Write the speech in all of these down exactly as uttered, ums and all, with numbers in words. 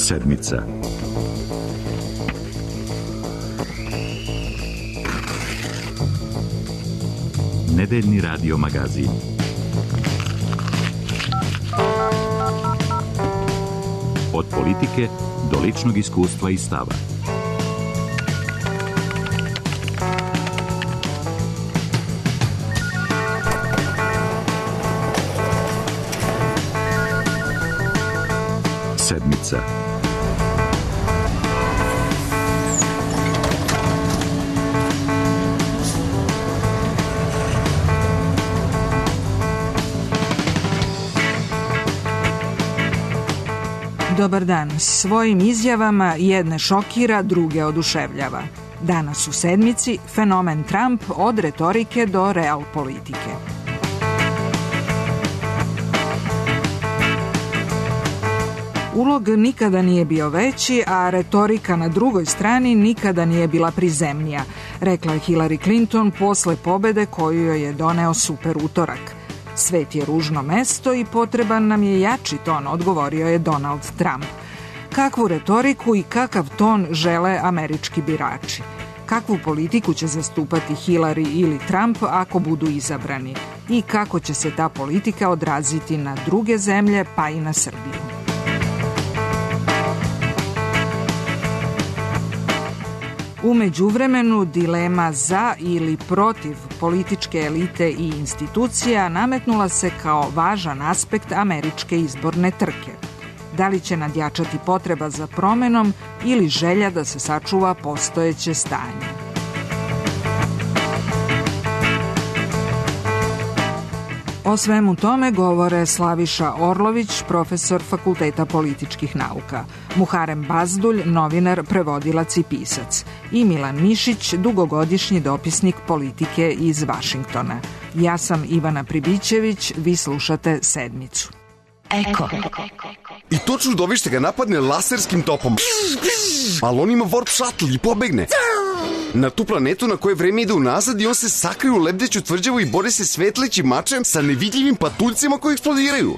Sedmica. Nedeljni radio magazin. Od politike do ličnog iskustva i stava. Sedmica. Dobar dan. Svojim izjavama jedne šokira, druge oduševljava. Danas u Sedmici fenomen Trump od retorike do real politike. Ulog nikada nije bio veći, a retorika na drugoj strani nikada nije bila prizemnija, rekla je Hillary Clinton posle pobede koju joj je doneo super utorak. Svet je ružno mesto i potreban nam je jači ton, odgovorio je Donald Trump. Kakvu retoriku i kakav ton žele američki birači? Kakvu politiku će zastupati Hillary ili Trump ako budu izabrani? I kako će se ta politika odraziti na druge zemlje, pa i na Srbiju? U međuvremenu dilema za ili protiv političke elite i institucija nametnula se kao važan aspekt američke izborne trke. Da li će nadjačati potreba za promenom ili želja da se sačuva postojeće stanje? O svemu tome govore Slaviša Orlović, profesor Fakulteta političkih nauka, Muharem Bazdulj, novinar, prevodilac i pisac, i Milan Mišić, dugogodišnji dopisnik politike iz Vašingtona. Ja sam Ivana Pribićević, vi slušate Sedmicu. Eko. I to čudovište ga napadne laserskim topom. Ali on ima warp shuttle i pobegne na tu planetu na kojoj vreme ide unazad i on se sakrije u lebdeću tvrđavu i bori se svetlećim mačem sa nevidljivim patuljcima koji eksplodiraju.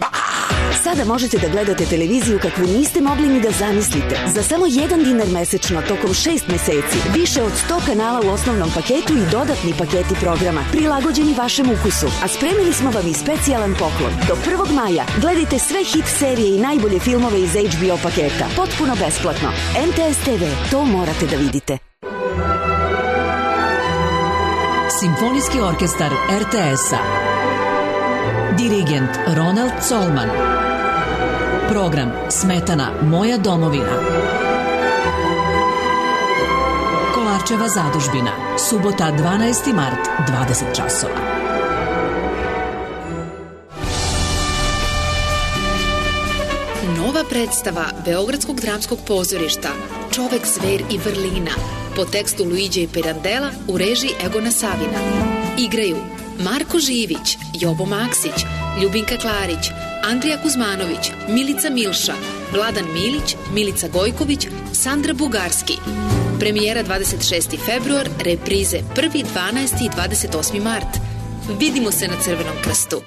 Sada možete da gledate televiziju kakvu niste mogli ni da zamislite. Za samo jedan dinar mesečno tokom šest meseci. Više od sto kanala u osnovnom paketu i dodatni paketi programa prilagođeni vašem ukusu. A spremili smo vam i specijalan poklon. Do prvog maja gledajte sve hit serije i najbolje filmove iz H B O paketa. Potpuno besplatno. M T S T V, to morate da vidite. Simfonijski orkestar R T S-a. Dirigent Ronald Colman. Program Smetana Moja domovina. Kolarčeva zadužbina. Subota dvanaesti mart, dvadeset časova. Nova predstava Beogradskog dramskog pozorišta Čovek, zver i vrlina po tekstu Luiđe Pirandela u režiji Egona Savina. Igraju Marko Živić, Jobo Maksić, Ljubinka Klarić, Andrija Kuzmanović, Milica Milša, Vladan Milić, Milica Gojković, Sandra Bugarski. Premijera dvadeset šesti februar, reprize prvi, dvanaesti i dvadeset osmi mart. Vidimo se na Crvenom krstu.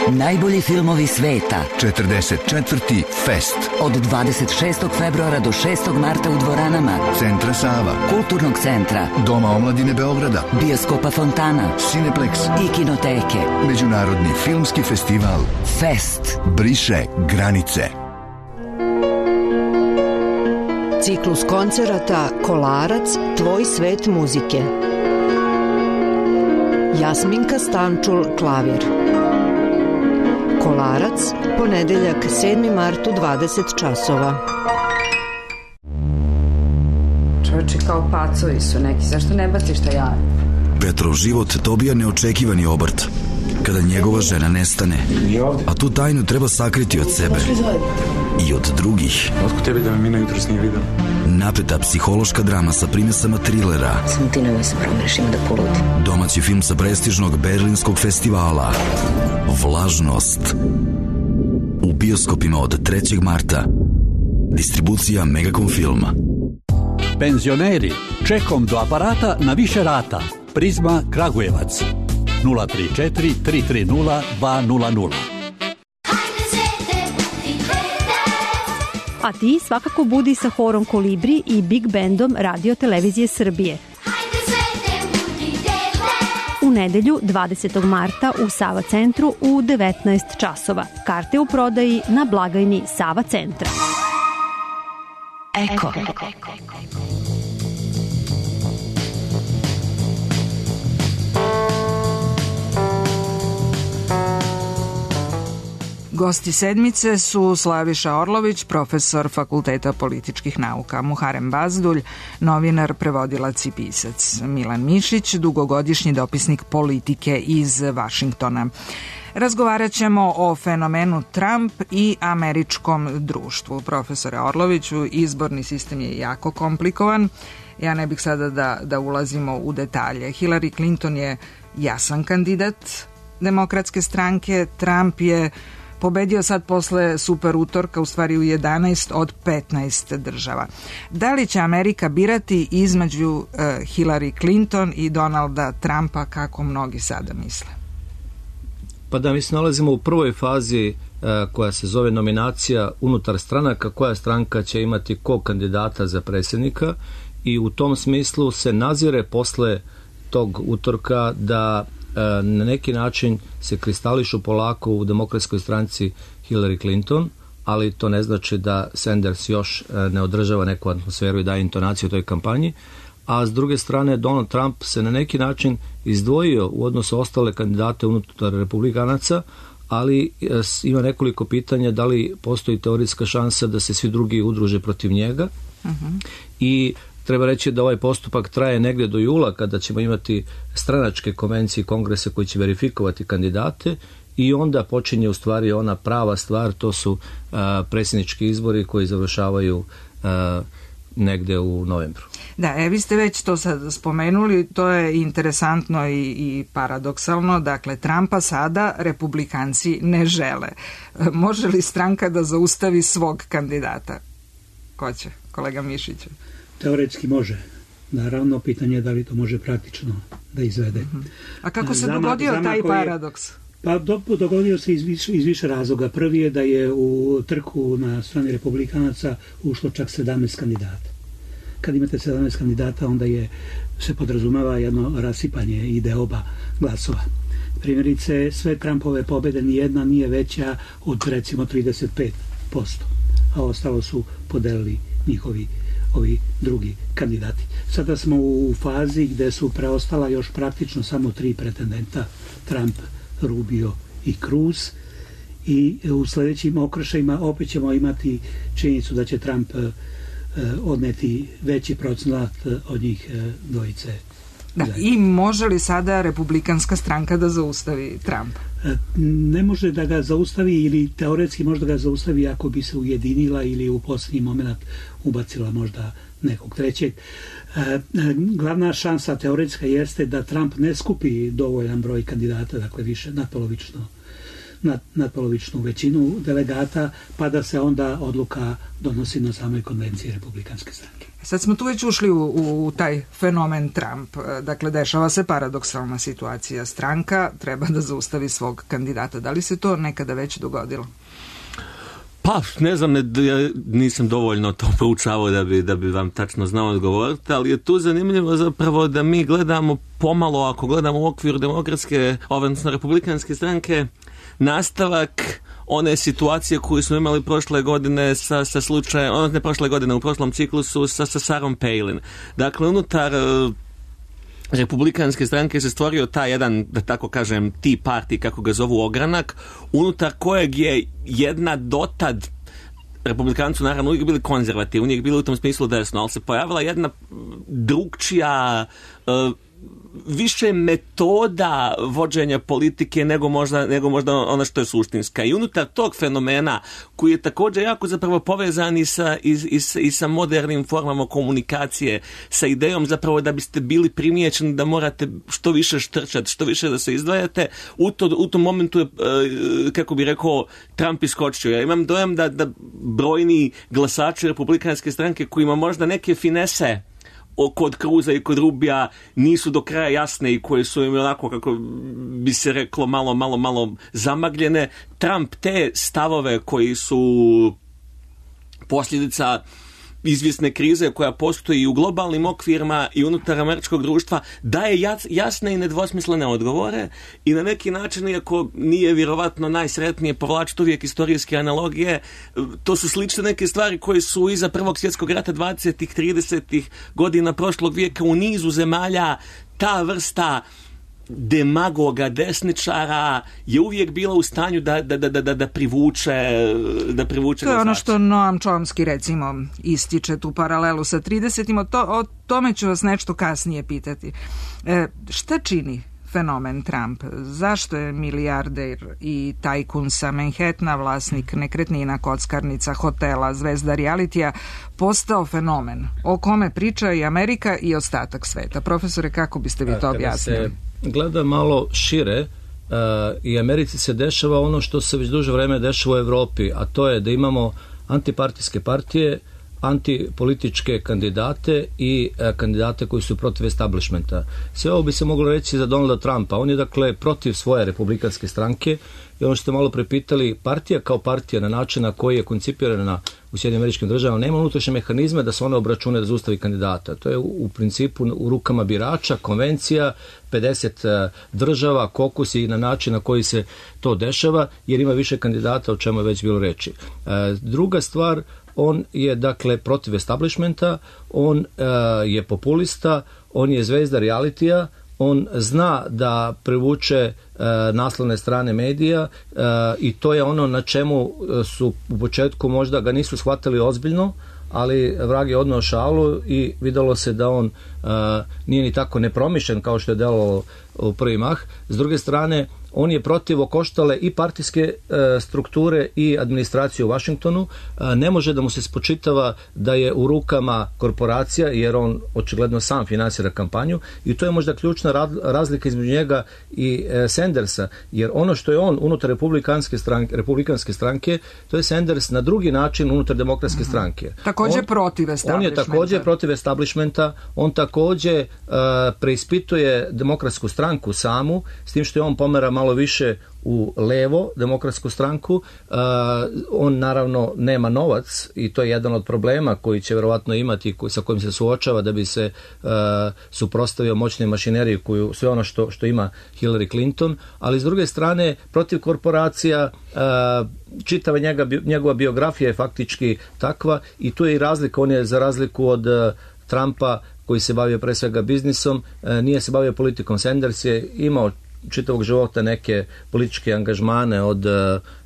Najbolji filmovi sveta. četrdeset četvrti Fest. Od dvadeset šestog februara do šestog marta u dvoranama Centra Sava, Kulturnog centra, Doma omladine Beograda, Bioskopa Fontana, Cineplex i Kinoteke. Međunarodni filmski festival Fest briše granice. Ciklus koncerata Kolarac, tvoj svet muzike. Jasminka Stančul, klavir. Kolarac, ponedeljak sedmi mart u dvadeset časova. Čovječe, kao pacovi su neki, zašto ne baciš šta ja? Petrov život dobija neočekivani obrt kada njegova žena nestane, a tu tajnu treba sakriti od sebe i od drugih. Otko tebi da me Mina jutros nije videla? Napeta psihološka drama sa primesama trilera. Samo ti nemoj se promeniš, ima da poludi. Domaći film sa prestižnog berlinskog festivala Vlažnost. U bioskopima od trećeg marta. Distribucija Megacom filma. Penzioneri, čekom do aparata na više rata. Prizma Kragujevac. nula tri četiri tri tri nula dva nula nula. A ti svakako budi sa horom Kolibri i Big Bandom Radio Televizije Srbije. U nedelju dvadesetog marta u Sava centru u devetnaest časova. Karte u prodaji na blagajni Sava centra. Eko. Gosti sedmice su Slaviša Orlović, profesor Fakulteta političkih nauka, Muharem Bazdulj, novinar, prevodilac i pisac, Milan Mišić, dugogodišnji dopisnik politike iz Vašingtona. Razgovarat ćemo o fenomenu Trump i američkom društvu. Profesore Orloviću, izborni sistem je jako komplikovan. Ja ne bih sada da, da ulazimo u detalje. Hillary Clinton je jasan kandidat demokratske stranke, Trump je pobedio sad posle super utorka, u stvari u jedanaest od petnaest država. Da li će Amerika birati između uh, Hillary Clinton i Donalda Trumpa, kako mnogi sada misle? Pa da, mi se nalazimo u prvoj fazi uh, koja se zove nominacija unutar stranaka, koja stranka će imati kog kandidata za predsjednika, i u tom smislu se nazire posle tog utorka da na neki način se kristališu polako u demokratskoj stranci Hillary Clinton, ali to ne znači da Sanders još ne održava neku atmosferu i daje intonaciju u toj kampanji, a s druge strane Donald Trump se na neki način izdvojio u odnosu ostale kandidate unutar republikanaca, ali ima nekoliko pitanja da li postoji teorijska šansa da se svi drugi udruže protiv njega. Uh-huh. I treba reći da ovaj postupak traje negdje do jula, kada ćemo imati stranačke konvencije i kongrese koji će verifikovati kandidate, i onda počinje u stvari ona prava stvar, to su uh, predsjednički izbori koji završavaju uh, negdje u novembru. Da, e, vi ste već to sad spomenuli, to je interesantno i, i paradoksalno. Dakle, Trumpa sada republikanci ne žele. Može li stranka da zaustavi svog kandidata? Ko će? Kolega Mišić. Teoretski može. Naravno, pitanje je da li to može praktično da izvede. Uh-huh. A kako se Zama, dogodio taj je, paradoks? Pa do, dogodio se iz više, iz više razloga. Prvi je da je u trku na strani republikanaca ušlo čak sedamnaest kandidata. Kad imate sedamnaest kandidata, onda je se podrazumeva jedno rasipanje i deoba glasova. Primjerice, sve Trumpove pobjede nijedna nije veća od recimo trideset pet posto, a ostalo su podelili njihovi ovi drugi kandidati. Sada smo u fazi gde su preostala još praktično samo tri pretendenta, Trump, Rubio i Cruz, i u sljedećim okršajima opet ćemo imati činjenicu da će Trump eh, odneti veći procenat od njih eh, dvojice. Da, i može li sada republikanska stranka da zaustavi Trump? Ne može da ga zaustavi, ili teoretski može da ga zaustavi ako bi se ujedinila ili u posljednji moment ubacila možda nekog trećeg. Glavna šansa teoretska jeste da Trump ne skupi dovoljan broj kandidata, dakle više nadpolovično nad, nadpolovičnu većinu delegata, pa da se onda odluka donosi na samoj konvenciji republikanske stranke. Sad smo tu već ušli u, u, u taj fenomen Trump. Dakle, dešava se paradoksalna situacija. Stranka treba da zaustavi svog kandidata. Da li se to nekada već dogodilo? Pa, ne znam, ne, ja nisam dovoljno to proučavao da bi, da bi vam tačno znao odgovoriti, ali je tu zanimljivo zapravo da mi gledamo pomalo, ako gledamo u okviru demokratske, odnosno republikanske stranke, nastavak one situacije koju smo imali prošle godine sa, sa slučajem, odnosno ne prošle godine, u prošlom ciklusu sa, sa Sarom Palin. Dakle, unutar uh, republikanske stranke se stvorio taj jedan, da tako kažem, Tea Party, kako ga zovu, ogranak, unutar kojeg je jedna dotad, republikanci naravno uvijek bili konzervativni, uvijek bili u tom smislu desno, ali se pojavila jedna drugčija uh, više metoda vođenja politike nego možda, nego možda ono što je suštinska. I unutar tog fenomena, koji je također jako zapravo povezan i sa, i, i, i sa modernim formama komunikacije, sa idejom zapravo da biste bili primijećeni da morate što više štrčati, što više da se izdvajate, u, to, u tom momentu je, kako bi rekao, Trump iskočio. Ja imam dojam da, da brojni glasači republikanske stranke kojima možda neke finese kod Cruza i kod Rubija nisu do kraja jasne i koje su im onako, kako bi se reklo, malo, malo, malo zamagljene. Trump te stavove koji su posljedica izvjesne krize koja postoji u globalnim okvirima i unutar američkog društva, daje jasne i nedvosmislene odgovore i na neki način, iako nije vjerovatno najsretnije povlačiti uvijek istorijske analogije, to su slične neke stvari koje su iza Prvog svjetskog rata dvadesetih, tridesetih godina prošlog vijeka u nizu zemalja. Ta vrsta demagoga, desničara je uvijek bila u stanju da, da, da, da, da privuče da privuče. To je ono što Noam Chomsky recimo ističe tu paralelu sa tridesetim. O, to, o tome ću vas nešto kasnije pitati. E, šta čini fenomen Trump? Zašto je milijarder i tajkun sa Manhattana, vlasnik nekretnina, kockarnica, hotela, zvezda realitija, postao fenomen o kome priča i Amerika i ostatak sveta? Profesore, kako biste vi to objasnili? Gleda malo šire, uh, i Americi se dešava ono što se već duže vreme dešava u Evropi, a to je da imamo antipartijske partije, antipolitičke kandidate i uh, kandidate koji su protiv establishmenta. Sve ovo bi se moglo reći za Donalda Trumpa. On je dakle protiv svoje republikanske stranke i ono što ste malo prepitali, partija kao partija na način na koji je koncipirana u Sjedinjenim Američkim Državama nema unutrašnje mehanizme da se ona obračune da zaustavi kandidata. To je u, u principu u rukama birača, konvencija, pedeset država, kokusi i na način na koji se to dešava, jer ima više kandidata, o čemu je već bilo reči. E, druga stvar, on je dakle protiv establishmenta, on e, je populista, on je zvezda realitija, on zna da privuče e, naslovne strane medija e, i to je ono na čemu su u početku možda ga nisu shvatili ozbiljno, ali vrag je odneo šalu i videlo se da on uh, nije ni tako nepromišljen kao što je delovalo u prvi mah. S druge strane, on je protiv okoštale i partijske uh, strukture i administracije u Vašingtonu. Uh, ne može da mu se spočitava da je u rukama korporacija, jer on očigledno sam finansira kampanju i to je možda ključna razlika između njega i uh, Sandersa, jer ono što je on unutar republikanske stranke, republikanske stranke, to je Sanders na drugi način unutar demokratske stranke. Također on, protiv establishmenta. On je također protiv establishmenta, on također uh, preispituje demokratsku stranku samu, s tim što je on pomera malo više u levo demokratsku stranku. Uh, on naravno nema novac i to je jedan od problema koji će vjerovatno imati, sa kojim se suočava da bi se uh, suprotstavio moćnoj mašineriji koju, sve ono što, što ima Hillary Clinton, ali s druge strane protiv korporacija, uh, čitava njega, njegova biografija je faktički takva i tu je i razlika. On je za razliku od uh, Trumpa koji se bavio pre svega biznisom, uh, nije se bavio politikom. Sanders je imao čitavog života neke političke angažmane od uh,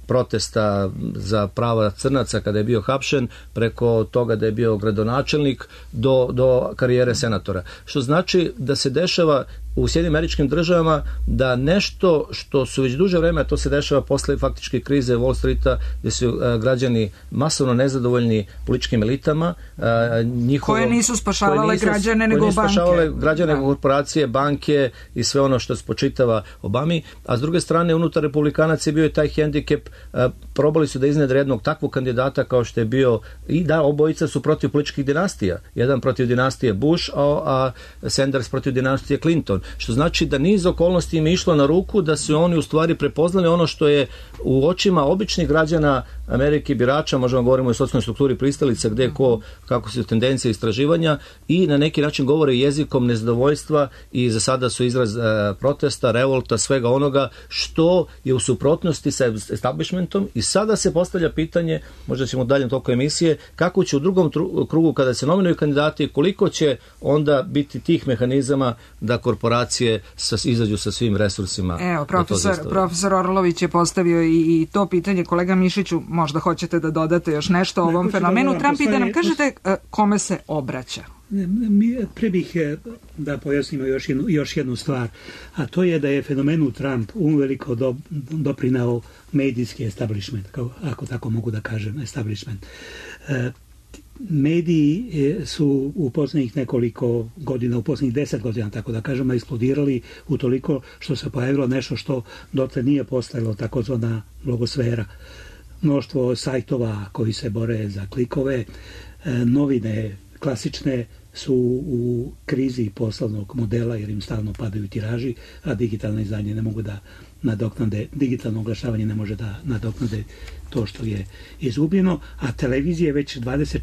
protesta za prava crnaca kada je bio hapšen, preko toga da je bio gradonačelnik do, do karijere senatora. Što znači da se dešava u Sjedinjenim Američkim Državama da nešto što su već duže vreme, to se dešava posle faktičke krize Wall Streeta, gdje su uh, građani masovno nezadovoljni političkim elitama. Uh, njihovo, koje nisu spašavale koje nisu, građane nego koje nisu banke. spašavale građane nego korporacije, banke i sve ono što spočitava Obami. A s druge strane, unutar republikanaca je bio i taj hendikep. Uh, probali su da iznedre jednog takvog kandidata kao što je bio, i da, obojica su protiv političkih dinastija. Jedan protiv dinastije Bush, a, a Sanders protiv dinastije Clinton. Što znači da niz okolnosti im je išlo na ruku da su oni u stvari prepoznali ono što je u očima običnih građana Amerike birača, možemo govorimo o socijalnoj strukturi pristalica, gdje ko, kako su tendencije istraživanja i na neki način govore jezikom nezadovoljstva i za sada su izraz e, protesta, revolta, svega onoga što je u suprotnosti sa establishmentom i sada se postavlja pitanje, možda ćemo dalje toku emisije, kako će u drugom tru, krugu kada se nominuju kandidati, koliko će onda biti tih mehanizama da korporacije sa, izađu sa svim resursima. Evo, profesor, profesor Orlović je postavio i, i to pitanje. Kolega Mišiću, možda hoćete da dodate još nešto o ovom fenomenu da Trump i da nam kažete kome se obraća. Mi pre bih da pojasnimo još jednu, još jednu stvar, a to je da je fenomenu Trump uveliko do, doprinao medijski establishment, kao, ako tako mogu da kažem, establishment. E, mediji su u posljednjih nekoliko godina, u posljednjih deset godina, tako da kažemo, eksplodirali u toliko što se pojavilo nešto što dotle nije postojalo, takozvana blogosfera. Mnoštvo sajtova koji se bore za klikove, novine klasične su u krizi poslovnog modela jer im stalno padaju tiraži, a digitalna izdanje ne mogu da nadoknade, digitalno oglašavanje ne može da nadoknade to što je izgubljeno, a televizije već dvadeset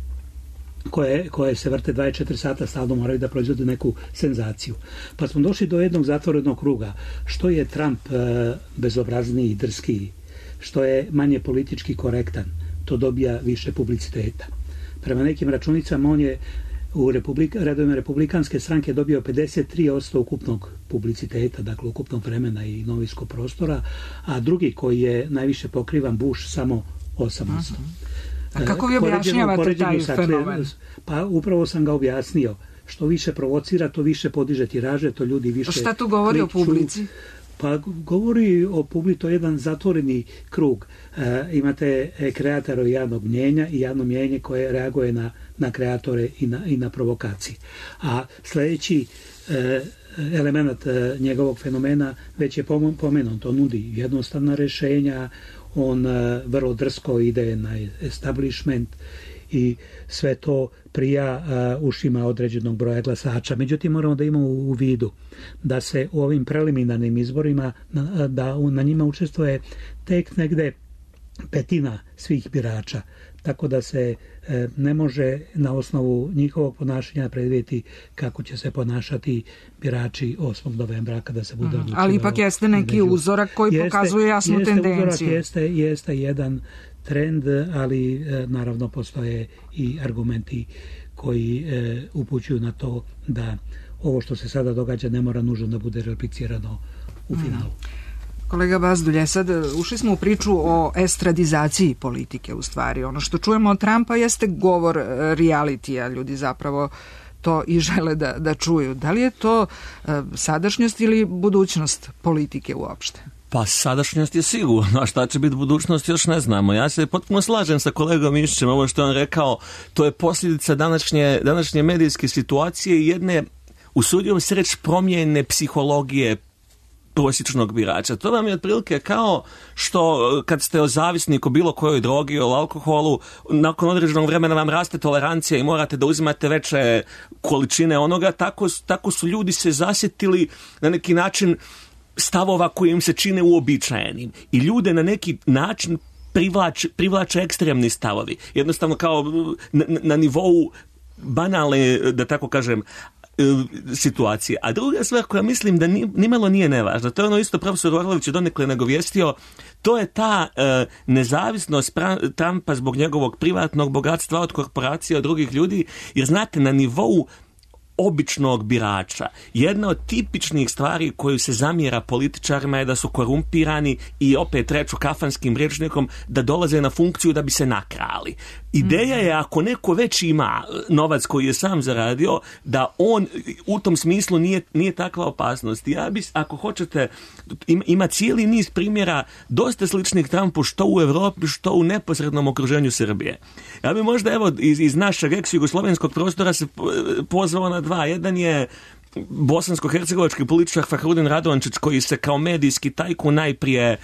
koje, koje se vrte dvadeset četiri sata stalno moraju da proizvode neku senzaciju. Pa smo došli do jednog zatvorenog kruga. Što je Trump e, bezobrazniji i drskiji, što je manje politički korektan, to dobija više publiciteta. Prema nekim računicama on je u republik, redovima republikanske stranke dobio pedeset tri posto ukupnog publiciteta, dakle ukupnog vremena i novinskog prostora, a drugi koji je najviše pokrivan, Bush, samo osam posto. A kako vi objašnjavate taj fenomen? Pa upravo sam ga objasnio. Što više provocira, to više podiže tiraže, to ljudi više... A šta tu govori kliču, o publici? Pa govori o publici, to je jedan zatvoreni krug. E, imate kreatore javnog mnjenja i javno mnjenje koje reaguje na, na kreatore i na, i na provokacije. A sljedeći e, element e, njegovog fenomena već je pomenut. To nudi jednostavna rješenja, on e, vrlo drsko ide na establishment i sve to prija uh, ušima određenog broja glasača. Međutim, moramo da imamo u vidu da se u ovim preliminarnim izborima na, da na njima učestvuje tek negde petina svih birača. Tako da se e, ne može na osnovu njihovog ponašanja predvidjeti kako će se ponašati birači osmog novembra kada se bude odlučivalo. Ali ipak jeste neki među... uzorak koji jeste, pokazuje jasnu jeste tendenciju. Uzorak, jeste, jeste jedan trend, ali e, naravno postoje i argumenti koji e, upućuju na to da ovo što se sada događa ne mora nužno da bude replicirano u finalu. Mm. Kolega Bazdulje, sad ušli smo u priču o estradizaciji politike u stvari. Ono što čujemo od Trumpa jeste govor realitija, ljudi zapravo to i žele da, da čuju. Da li je to e, sadašnjost ili budućnost politike uopšte? Pa sadašnjost je sigurno, a šta će biti budućnost još ne znamo. Ja se potpuno slažem sa kolegom Mišićem, ovo što je on rekao, to je posljedica današnje, današnje medijske situacije i jedne, usudio se reći, promjene psihologije prosječnog birača. To vam je otprilike kao što kad ste o zavisniku bilo kojoj drogi, o alkoholu, nakon određenog vremena vam raste tolerancija i morate da uzimate veće količine onoga, tako, tako su ljudi se zasjetili na neki način stavova koji im se čine uobičajenim. I ljude na neki način privlače, privlače ekstremni stavovi. Jednostavno kao na, na nivou banalne, da tako kažem, situacije. A druga stvar koja mislim da ni, nimalo nije nevažna, to je ono isto profesor Orlović je donekle nagovijestio, to je ta e, nezavisnost pra- Trumpa zbog njegovog privatnog bogatstva od korporacija, od drugih ljudi, jer znate, na nivou običnog birača. Jedna od tipičnih stvari koju se zamjera političarima je da su korumpirani i opet reču kafanskim rječnikom da dolaze na funkciju da bi se nakrali. Ideja je ako neko već ima novac koji je sam zaradio, da on u tom smislu nije, nije takva opasnost. Ja bi, ako hoćete, ima, ima cijeli niz primjera dosta sličnih Trumpu što u Europi, što u neposrednom okruženju Srbije. Ja bi možda evo iz, iz našeg ex-jugoslovenskog prostora se pozvao na dva. Jedan je bosansko-hercegovački političar Fahrudin Radončić koji se kao medijski tajkun najprije e,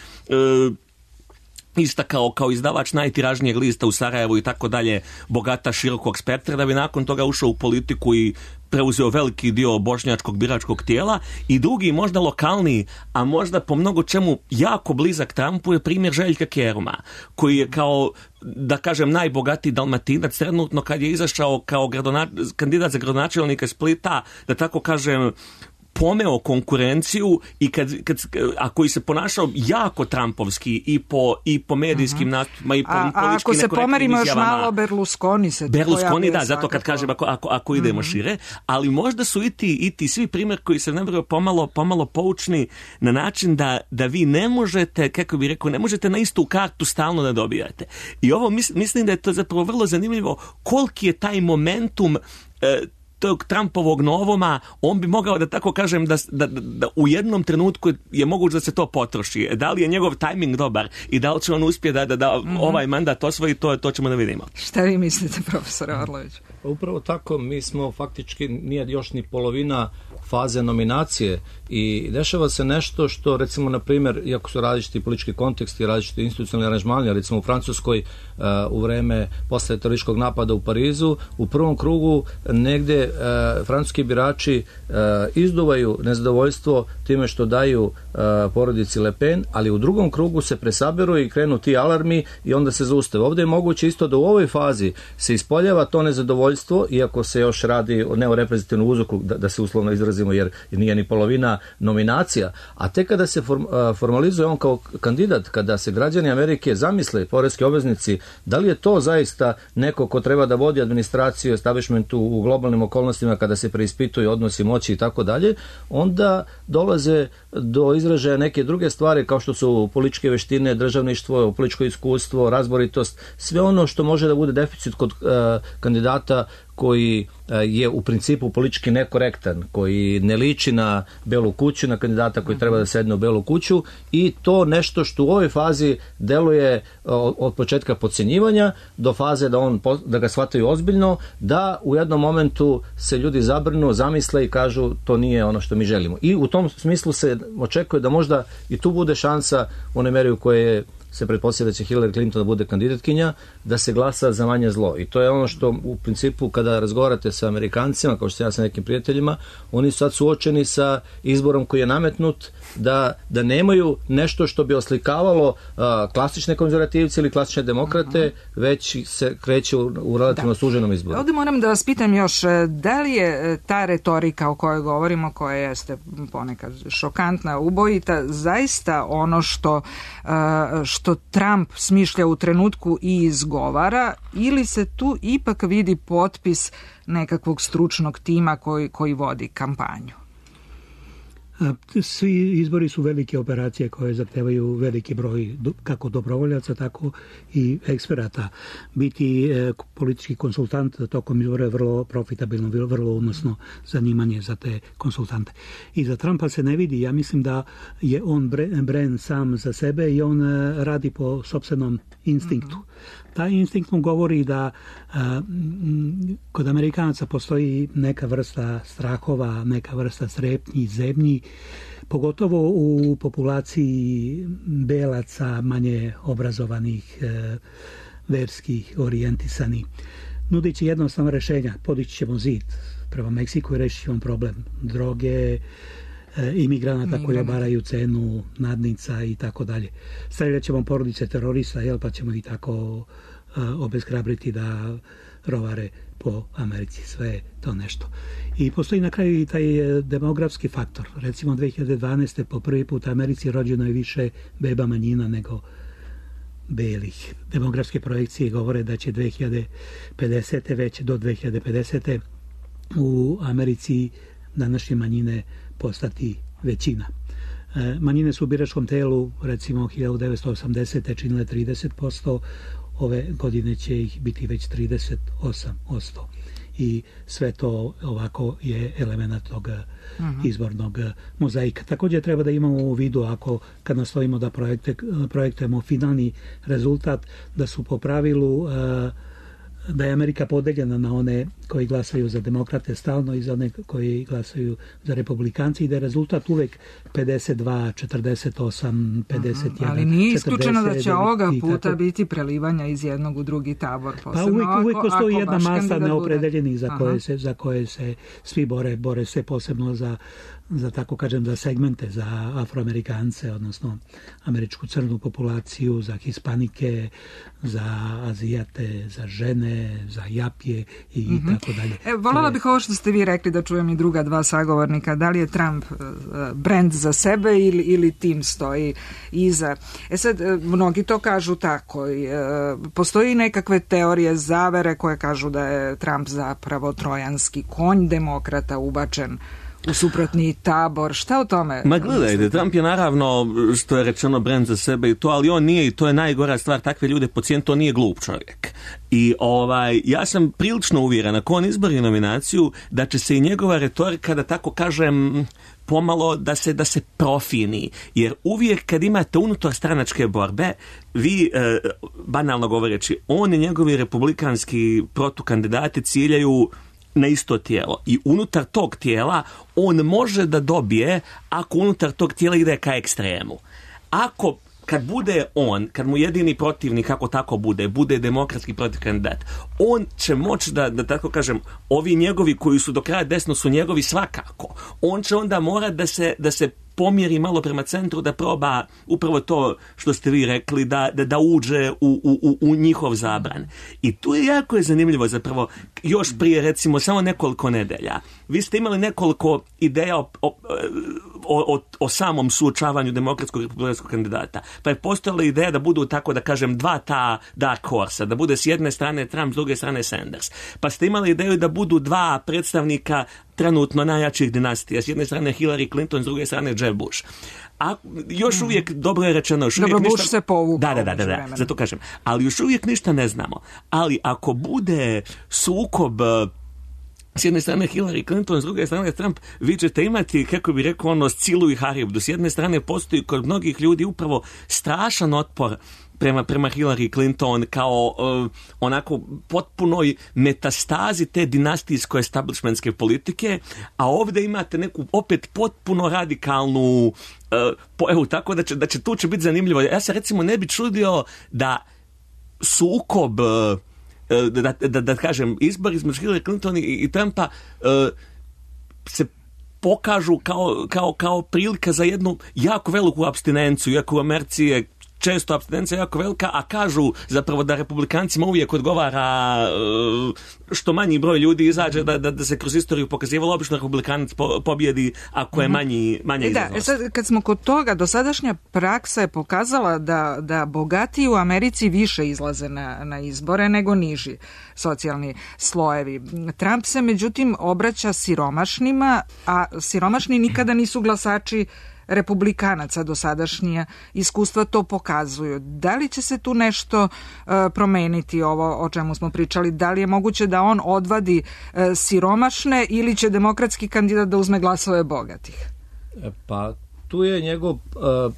istakao kao izdavač najtiražnijeg lista u Sarajevu i tako dalje, bogata širokog spektra, da bi nakon toga ušao u politiku i preuzeo veliki dio bošnjačkog biračkog tijela. I drugi, možda lokalniji, a možda po mnogo čemu jako blizak Trumpu je primjer Željka Keruma, koji je kao, da kažem, najbogatiji Dalmatinac trenutno kad je izašao kao gradona, kandidat za gradonačelnika Splita, da tako kažem, pomeo konkurenciju i kad, kad, a koji se ponašao jako trumpovski i po, i po medijskim uh-huh. nastupima i po a, a ako se pomerimo još malo, Berlusconi se Berlusconi, da, zato kad kažem ako, ako, ako idemo uh-huh. šire, ali možda su i ti, i ti svi primjer koji se nabrao pomalo, pomalo poučni na način da, da vi ne možete, kako bih rekao, ne možete na istu kartu stalno da dobijate. I ovo mis, mislim da je to zapravo vrlo zanimljivo koliki je taj momentum e, tog Trumpovog novoma, on bi mogao da tako kažem da, da, da u jednom trenutku je moguće da se to potroši. Da li je njegov tajming dobar i da li će on uspjeti da, da, da mm-hmm. ovaj mandat osvoji, to, to ćemo da vidimo. Šta vi mislite, profesore Orlović? Upravo tako, mi smo faktički, nije još ni polovina faze nominacije i dešava se nešto što, recimo, na primjer, iako su različiti politički konteksti, različiti institucionalni aranžmani, recimo u Francuskoj uh, u vreme posle terorističkog napada u Parizu, u prvom krugu negde e, francuski birači e, izduvaju nezadovoljstvo time što daju e, porodici Le Pen, ali u drugom krugu se presaberu i krenu ti alarmi i onda se zaustave. Ovdje je moguće isto da u ovoj fazi se ispoljava to nezadovoljstvo, iako se još radi o, ne o reprezentativnom uzroku, da, da se uslovno izrazimo, jer nije ni polovina nominacija, a tek kada se form, a, formalizuje on kao kandidat, kada se građani Amerike zamisle, poreski obveznici, da li je to zaista neko ko treba da vodi administraciju, establishmentu u globalnim okolnostima kada se preispituju odnosi moći i tako dalje, onda dolaze do izražaja neke druge stvari kao što su političke veštine, državništvo, političko iskustvo, razboritost, sve ono što može da bude deficit kod uh, kandidata koji je u principu politički nekorektan, koji ne liči na Belu kuću, na kandidata koji treba da sedne u Belu kuću, i to nešto što u ovoj fazi deluje od početka podcjenjivanja do faze da, on, da ga shvataju ozbiljno, da u jednom momentu se ljudi zabrnu, zamisle i kažu to nije ono što mi želimo. I u tom smislu se očekuje da možda i tu bude šansa u onoj meri u kojoj se pretpostavlja da će Hillary Clinton da bude kandidatkinja, da se glasa za manje zlo. I to je ono što u principu kada razgovarate sa Amerikancima, kao što sam ja sa nekim prijateljima, oni su sad suočeni sa izborom koji je nametnut da, da nemaju nešto što bi oslikavalo uh, klasične konzervativce ili klasične demokrate, uh-huh. već se kreće u, u relativno da. suženom izboru. Ovdje moram da vas pitam još, da li je ta retorika o kojoj govorimo, koja jeste ponekad šokantna, ubojita, zaista ono što uh, što Trump smišlja u trenutku i izgovara, ili se tu ipak vidi potpis nekakvog stručnog tima koji, koji vodi kampanju? Svi izbori su velike operacije koje zahtevaju veliki broj kako dobrovoljaca, tako i eksperata. Biti e, politički konsultant tokom izbora je vrlo profitabilno, vrlo unosno zanimanje za te konsultante. I za Trumpa se ne vidi. Ja mislim da je on brand sam za sebe i on e, radi po sopstvenom instinktu. Mm-hmm. Taj instinkt mu govori da a, m, kod Amerikanaca postoji neka vrsta strahova, neka vrsta strepnji, zebnji, pogotovo u populaciji belaca, manje obrazovanih, e, verskih, orijentisanih. Nudići jednostavno rešenja, podići ćemo zid prema Meksiku i rešit ćemo problem droge, imigranata koji obaraju cenu, nadnica i tako dalje. Stavljat ćemo porodice terorista, jel, pa ćemo i tako uh, obeshrabriti da rovare po Americi. Sve to nešto. I postoji na kraju i taj demografski faktor. Recimo dve hiljade dvanaeste po prvi put u Americi rođeno je više beba manjina nego belih. Demografske projekcije govore da će dve hiljade pedesete već do dve hiljade pedesete u Americi današnje manjine postati većina. E, manjine su u biračkom telu, recimo hiljadu devetsto osamdesete činile trideset posto, ove godine će ih biti već trideset osam posto. I sve to ovako je element tog uh-huh. izbornog mozaika. Također treba da imamo u vidu, ako kad nastojimo da projekte, projektujemo finalni rezultat, da su po pravilu uh, da je Amerika podeljena na one koji glasaju za demokrate stalno i za one koji glasaju za republikanci i da je rezultat uvek pedeset dva četrdeset osam pedeset jedan. Ali nije isključeno da će ovoga puta biti prelivanja iz jednog u drugi tabor. Pa uvek, uvek postoji jedna masa neopredeljenih za koje, se, za koje se svi bore, bore se posebno za za tako kažem za segmente, za Afroamerikance, odnosno američku crnu populaciju, za Hispanike, za Azijate, za žene, za Japije i mm-hmm. tako dalje. E, voljela bih ovo što ste vi rekli da čujem i druga dva sagovornika, da li je Trump uh, brand za sebe ili, ili tim stoji iza. E sad, uh, mnogi to kažu tako. Uh, postoji nekakve teorije zavere koje kažu da je Trump zapravo trojanski konj demokrata ubačen u suprotni tabor. Šta o tome? Ma gledajte, Trump je naravno, što je rečeno, brand za sebe i to, ali on nije, i to je najgora stvar, takve ljude pocijent, to nije glup čovjek. I ovaj, ja sam prilično uvjeren, ako on izbori nominaciju, da će se i njegova retorika, da tako kažem, pomalo da se da se profini, jer uvijek kad imate unutar stranačke borbe, vi, e, banalno govoreći, on i njegovi republikanski protukandidati ciljaju na isto tijelo. I unutar tog tijela on može da dobije ako unutar tog tijela ide ka ekstremu. Ako kad bude on, kad mu jedini protivnik, kako tako bude, bude demokratski protiv kandidat, on će moći da, da tako kažem, ovi njegovi koji su do kraja desno su njegovi svakako. On će onda morati da se, da se pomjeri malo prema centru, da proba upravo to što ste vi rekli, da, da, da uđe u, u, u njihov zabran. I tu je jako je zanimljivo zapravo, još prije recimo samo nekoliko nedelja. Vi ste imali nekoliko ideja o, o, o, o samom suočavanju demokratskog i republikanskog kandidata. Pa je postojala ideja da budu, tako da kažem, dva ta dark horsa, da bude s jedne strane Trump, s druge strane Sanders. Pa ste imali ideju da budu dva predstavnika trenutno najjačih dinastija. S jedne strane Hillary Clinton, s druge strane Jeb Bush. A još uvijek, dobro je rečeno, još uvijek dobro, ništa... Bush se povukao. Da, da, da, da, da, zato kažem. Ali još uvijek ništa ne znamo. Ali ako bude sukob s jedne strane Hillary Clinton, s druge strane Trump, vi ćete imati, kako bi rekao, ono, Scilu i Haribdu. S jedne strane postoji kod mnogih ljudi upravo strašan otpor prema, prema Hillary Clinton kao uh, onako potpunoj metastazi te dinastijsko establishmentske politike, a ovdje imate neku opet potpuno radikalnu uh, po, evo, tako da će, da će tu će biti zanimljivo. Ja se recimo ne bi čudio da sukob uh, Da, da, da, da kažem, izbor između Hillary Clinton i, i Trumpa uh, se pokažu kao, kao, kao prilika za jednu jako veliku apstinenciju, iako u Americi je često apstinencija jako velika, a kažu zapravo da republikancima uvijek odgovara uh, što manji broj ljudi izađe, da, da, da se kroz istoriju pokazivalo, obično republikanac po, pobjedi ako je manji, manja izlaznost. Da, sad, kad smo kod toga, dosadašnja praksa je pokazala da, da bogatiji u Americi više izlaze na, na izbore nego niži socijalni slojevi. Trump se međutim obraća siromašnima, a siromašni nikada nisu glasači republikanaca, dosadašnje iskustva to pokazuju. Da li će se tu nešto uh, promeniti, ovo o čemu smo pričali? Da li je moguće da on odvadi uh, siromašne ili će demokratski kandidat da uzme glasove bogatih? Pa tu je njegov uh,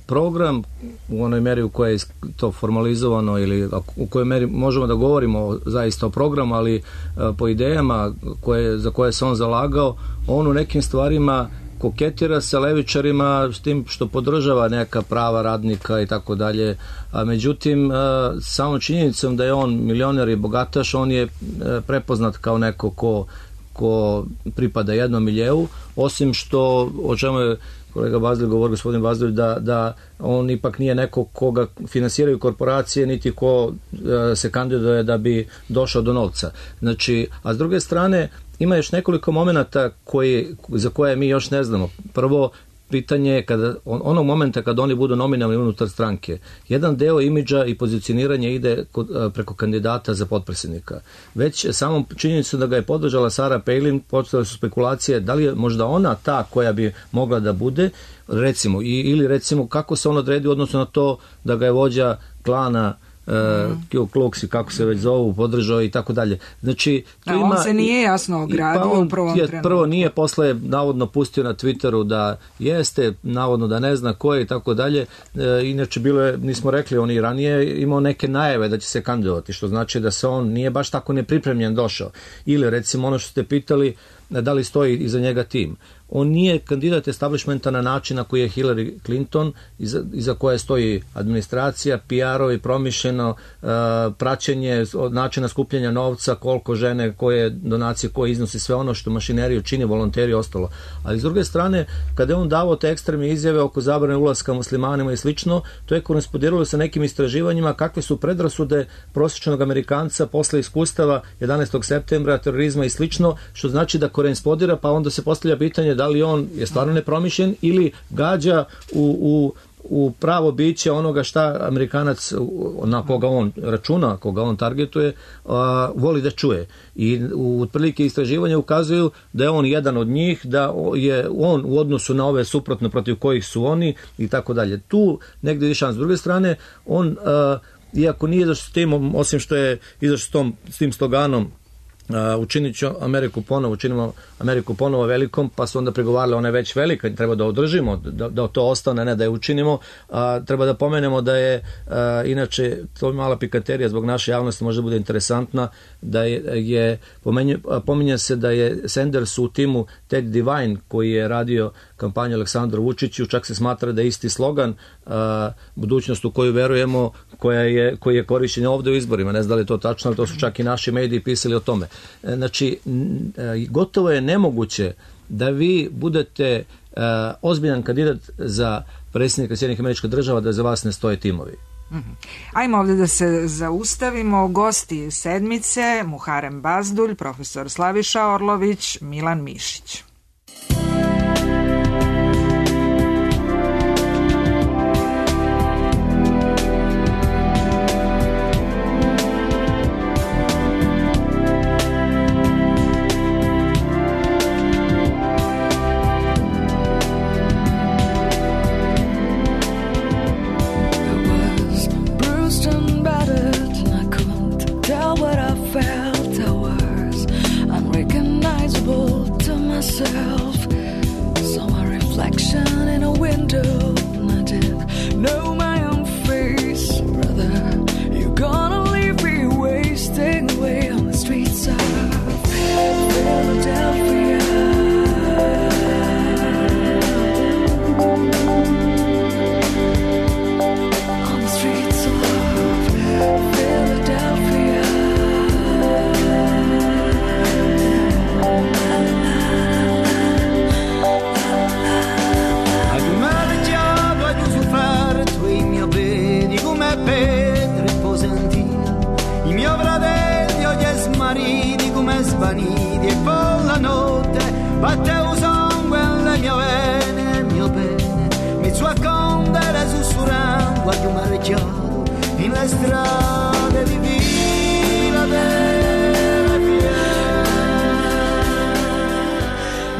program u onoj meri u kojoj je to formalizovano ili u kojoj meri možemo da govorimo zaista o programu, ali uh, po idejama koje, za koje se on zalagao, on u nekim stvarima koketira sa levičarima s tim što podržava neka prava radnika i tako dalje, a međutim samo činjenicom da je on milioner i bogataš, on je prepoznat kao neko ko, ko pripada jednom miljeu, osim što, o čemu je kolega Bazlij govori, gospodin Bazlij, da, da on ipak nije neko koga finansiraju korporacije, niti ko se kandiduje da bi došao do novca. Znači, a s druge strane ima još nekoliko momenata koji, za koje mi još ne znamo. Prvo, pitanje je kada, on, onog momenta kad oni budu nominalni unutar stranke. Jedan deo imidža i pozicioniranja ide kod, preko kandidata za potpredsjednika. Već samom činjenicu da ga je podržala Sarah Palin, počele su spekulacije da li je možda ona ta koja bi mogla da bude, recimo, i, ili recimo kako se on odredi u odnosu na to da ga je vođa klana Ku Klux i kako se već zovu, podržao i tako dalje. Znači, tu a ima, on se nije jasno ogradio pa u prvom je, trenutku. Prvo nije, posle navodno pustio na Twitteru da jeste, navodno da ne zna ko je i tako dalje. E, inače, bilo je, nismo rekli, on i ranije imao neke najave da će se kandidovati, što znači da se on nije baš tako nepripremljen došao. Ili recimo ono što ste pitali, da li stoji iza njega tim. On nije kandidat establishmenta na način na koji je Hillary Clinton, iza, iza koje stoji administracija, P R-ovi, promišljeno, uh, praćenje od načina skupljanja novca, koliko žene, koje donacije, koje iznosi, sve ono što mašineriju čini, volonteri i ostalo. Ali s druge strane, kada je on davao te ekstremne izjave oko zabrane ulaska muslimanima i slično, to je korespondiralo sa nekim istraživanjima kakve su predrasude prosječnog Amerikanca posle iskustava jedanaestog septembra, terorizma i slično, što znači da korespondira, pa onda se postavlja pitanje da li on je stvarno nepromišljen ili gađa u, u, u pravo biće onoga šta Amerikanac na koga on računa, koga on targetuje, a, voli da čuje. I u otprilike istraživanja ukazuju da je on jedan od njih, da je on u odnosu na ove suprotno protiv kojih su oni i tako dalje. Tu negdje je šans. S druge strane, on, a, iako nije izašao s tim, osim što je izašao s, tom, s tim sloganom Uh, učinit ću Ameriku ponovo, učinimo Ameriku ponovo velikom, pa su onda pregovarali, ona je već velika, treba da održimo, da, da to ostane, ne da je učinimo. Uh, treba da pomenemo da je, uh, inače, to je mala pikaterija zbog naše javnosti, možda bude interesantna, da je, je pomenju, pominje se da je Sanders u timu Ted Divine, koji je radio kampanju Aleksandru Vučiću, čak se smatra da je isti slogan uh, budućnost u koju verujemo, koja je, koji je korišćen ovde u izborima. Ne znam da li je to tačno, ali to su čak i naši mediji pisali o tome. Znači, gotovo je nemoguće da vi budete uh, ozbiljan kandidat za predsjednika Sjedinjenih Američkih Država, da za vas ne stoje timovi. Mm-hmm. Ajmo ovdje da se zaustavimo. Gosti sedmice: Muharem Bazdulj, profesor Slaviša Orlović, Milan Mišić.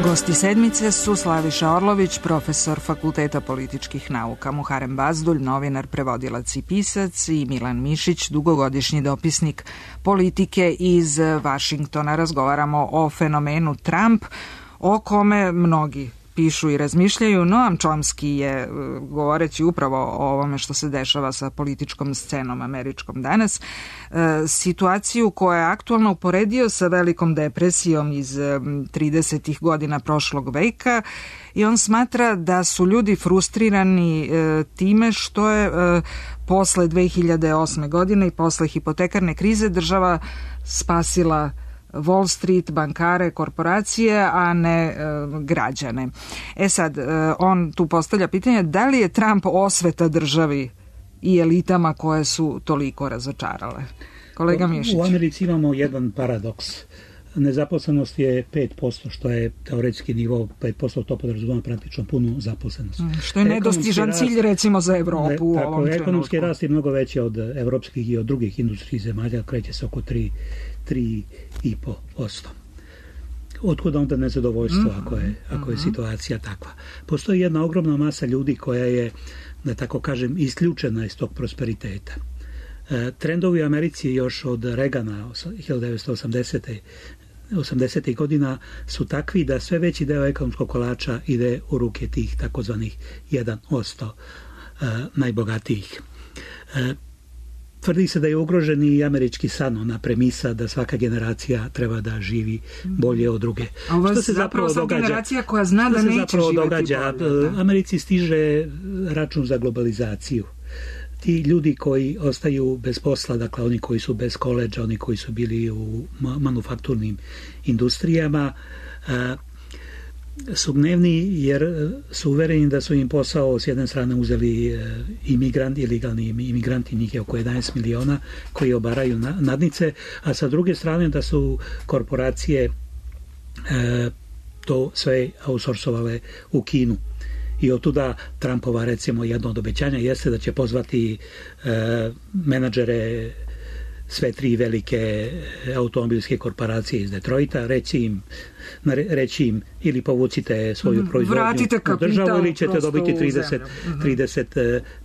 Gosti sedmice su Slaviša Orlović, profesor Fakulteta političkih nauka, Muharem Bazdulj, novinar, prevodilac i pisac, i Milan Mišić, dugogodišnji dopisnik politike iz Vašingtona. Razgovaramo o fenomenu Trump, o kome mnogi pišu i razmišljaju. Noam Chomsky je, govoreći upravo o ovome što se dešava sa političkom scenom američkom danas, situaciju koja je aktualna uporedio sa velikom depresijom iz tridesetih godina prošlog veka, i on smatra da su ljudi frustrirani time što je posle dve hiljade osme godine i posle hipotekarne krize država spasila Wall Street, bankare, korporacije, a ne e, građane. E sad, e, on tu postavlja pitanje da li je Trump osveta državi i elitama koje su toliko razočarale. Kolega Mišić. U Americi imamo jedan paradoks. Nezaposlenost je pet posto, što je teoretski nivo pet posto, to podrazumeva praktično punu zaposlenost. Što je nedostižan rast, cilj recimo za Evropu u tako, ovom trenutku. Ekonomski rast je mnogo veći od evropskih i od drugih industrijskih zemalja, kreće se oko tri i po posto. Otkuda onda nezadovoljstvo mm-hmm. ako je, ako je situacija takva? Postoji jedna ogromna masa ljudi koja je, da tako kažem, isključena iz tog prosperiteta. E, trendovi u Americi još od Reagana hiljadu devetsto osamdesetih godina su takvi da sve veći deo ekonomskog kolača ide u ruke tih takozvanih jedan posto e, najbogatijih. E, Tvrdi se da je ugrožen i američki san, ona premisa da svaka generacija treba da živi bolje od druge. A ovo je zapravo, zapravo događa, generacija koja zna da neće živjeti događa? bolje. Da. Americi stiže račun za globalizaciju. Ti ljudi koji ostaju bez posla, dakle oni koji su bez koledža, oni koji su bili u manufakturnim industrijama, su gnevni jer su uvereni da su im posao s jedne strane uzeli imigranti, ilegalni imigranti, njih je oko jedanaest miliona koji obaraju nadnice, a sa druge strane da su korporacije e, to sve outsourcovale u Kinu. I otuda Trumpova, recimo, jedno od obećanja jeste da će pozvati e, menadžere sve tri velike automobilske korporacije iz Detroita, reći im, reći im ili povucite svoju proizvodnju u državu ili ćete dobiti trideset, trideset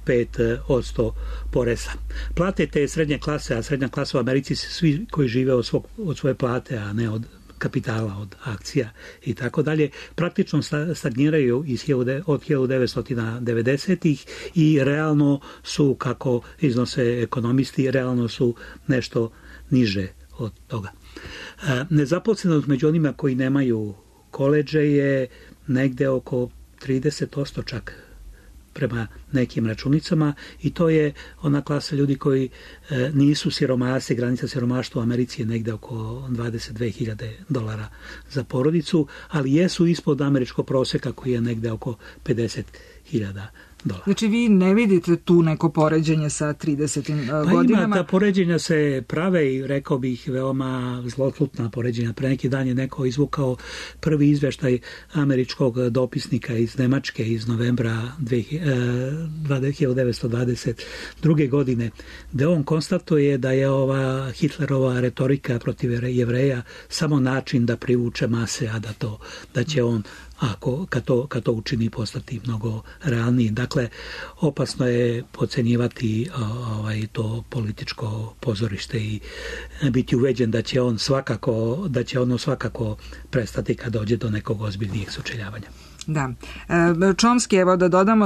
pet posto poreza. Plate te srednje klase, a srednja klasa u Americi su svi koji žive od, svog, od svoje plate, a ne od kapitala, od akcija i tako dalje, praktično stagniraju iz, od hiljadu devetsto devedesetih i realno su, kako iznose ekonomisti, realno su nešto niže od toga. Nezaposlenost među onima koji nemaju koledže je negde oko trideset posto čak prema nekim računicama i to je ona klasa ljudi koji e, nisu siromasi, granica siromaštva u Americi je negde oko dvadeset dve hiljade dolara za porodicu, ali jesu ispod američkog proseka koji je negde oko pedeset hiljada dolara. Znači vi ne vidite tu neko poređenje sa tridesetim pa godinama? Ima, ta poređenja se prave i rekao bih veoma zloslutna poređenja. Pre neki dan je neko izvukao prvi izveštaj američkog dopisnika iz Nemačke iz novembra hiljadu devetsto dvadeset druge. godine, gde on konstatuje da je ova Hitlerova retorika protiv Jevreja samo način da privuče mase, a da to, da će on ako kad to, kad to učini postati mnogo realniji. Dakle, opasno je podcenjivati ovaj, to političko pozorište i biti uveđen da će on svakako, da će ono svakako prestati kad dođe do nekog ozbiljnijeg sučeljavanja. Da. Chomsky, evo da dodamo,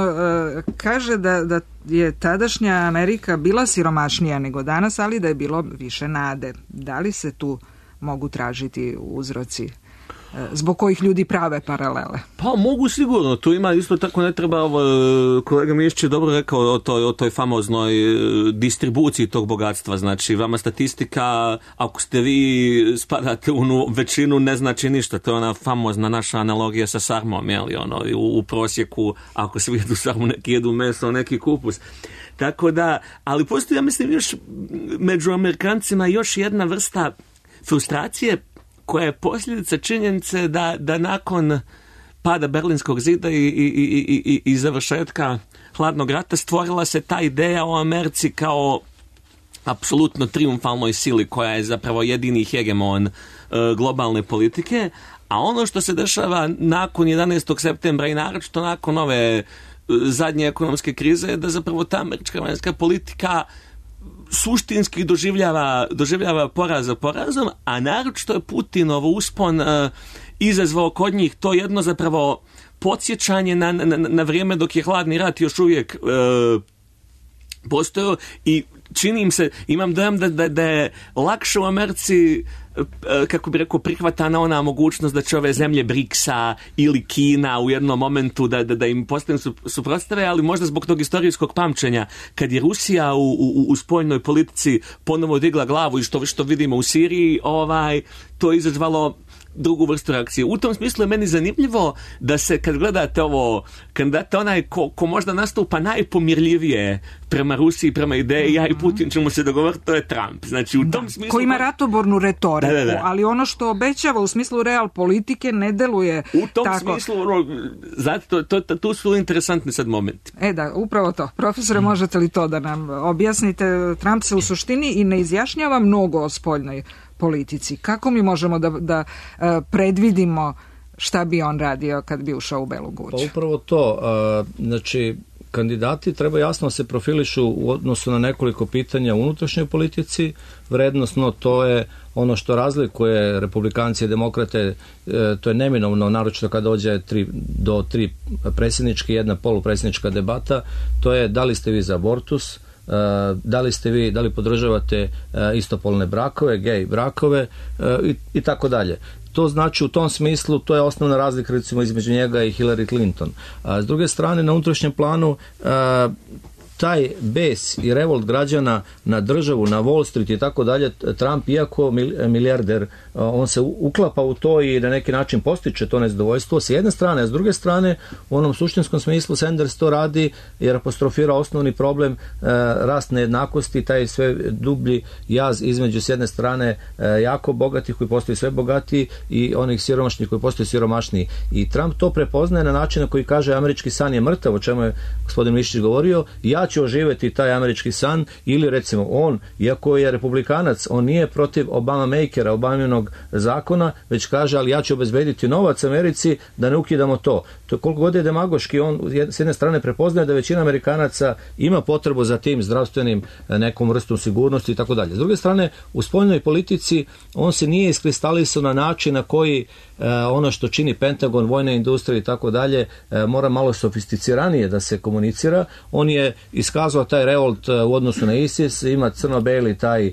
kaže da, da je tadašnja Amerika bila siromašnija nego danas, ali da je bilo više nade. Da li se tu mogu tražiti uzroci zbog kojih ljudi prave paralele? Pa mogu sigurno, tu ima isto tako, ne treba, ovo, kolega Mišić je dobro rekao o toj, o toj famoznoj distribuciji tog bogatstva, znači vama statistika, ako ste vi spadate u većinu, ne znači ništa, to je ona famozna naša analogija sa sarmom, jeli, ono, u, u prosjeku, ako svi jedu sarmu, neki jedu meso, neki kupus. Tako da, ali postoji, ja mislim, još među Amerikancima još jedna vrsta frustracije koja je posljedica činjenice da, da nakon pada Berlinskog zida i, i, i, i, i završetka hladnog rata stvorila se ta ideja o Americi kao apsolutno triumfalnoj sili koja je zapravo jedini hegemon uh, globalne politike, a ono što se dešava nakon jedanaestog septembra i naročito nakon ove uh, zadnje ekonomske krize je da zapravo ta američka vanjska politika suštinski doživljava, doživljava poraz za porazom, a naročito je Putinov uspon uh, izazvao kod njih to jedno zapravo podsjećanje na, na, na vrijeme dok je hladni rat još uvijek uh, postojao i čini im se, imam dojam da, da, da je lakše u Americi, kako bi rekao, prihvatana ona mogućnost da će ove zemlje Briksa ili Kina u jednom momentu da, da, da im postane suprotstave, ali možda zbog tog istorijskog pamćenja, kad je Rusija u, u, u spoljnoj politici ponovo digla glavu i što, što vidimo u Siriji, ovaj, to je izazvalo drugu vrstu reakcije. U tom smislu je meni zanimljivo da se, kad gledate ovo, kandidata onaj ko, ko možda nastupa najpomirljivije prema Rusiji, prema ideji, mm-hmm. ja i Putin ćemo se dogovoriti, to je Trump. Znači, u tom da, smislu... Ko ima ratobornu retoriku, da, da, da. ali ono što obećava u smislu real politike ne deluje tako. U tom tako. smislu, ono, zato, to, to, tu su interesantni sad momenti. E da, upravo to. Profesore, mm. možete li to da nam objasnite? Trump se u suštini i ne izjašnjava mnogo o spoljnoj politici. Kako mi možemo da, da uh, predvidimo šta bi on radio kad bi ušao u Belu kuću? Pa upravo to. Uh, znači, kandidati treba jasno se profilišu u odnosu na nekoliko pitanja u unutrašnjoj politici. Vrednostno to je ono što razlikuje republikanci i demokrate, to je neminovno, naročito kad dođe tri, do tri predsjedničke, jedna polupredsjednička debata, to je da li ste vi za abortus, da li ste vi, da li podržavate istopolne brakove, gej brakove i, i tako dalje. To znači u tom smislu, to je osnovna razlika recimo između njega i Hillary Clinton. A s druge strane, na unutrašnjem planu a, taj bes i revolt građana na državu, na Wall Street i tako dalje, Trump, iako milijarder, on se uklapa u to i na neki način postiče to nezadovoljstvo s jedne strane, a s druge strane u onom suštinskom smislu Sanders to radi jer apostrofira osnovni problem, rast nejednakosti, taj sve dublji jaz između s jedne strane jako bogatih koji postaju sve bogatiji i onih siromašnih koji postaju siromašniji. I Trump to prepoznaje na način na koji kaže američki san je mrtav, o čemu je gospodin Mišić govorio, ja će oživjeti taj američki san, ili recimo on, iako je republikanac, on nije protiv Obama-makera, Obaminog zakona, već kaže, ali ja ću obezbediti novac Americi da ne ukidamo to. To koliko god je demagoški, on s jedne strane prepoznaje da većina Amerikanaca ima potrebu za tim zdravstvenim nekom vrstom sigurnosti i tako dalje. S druge strane, u spoljnoj politici on se nije iskristalisao na način na koji e, ono što čini Pentagon, vojna industrija i tako dalje, e, mora malo sofisticiranije da se komunicira. On je iskazao taj revolt e, u odnosu na ISIS, ima crno-beli taj e,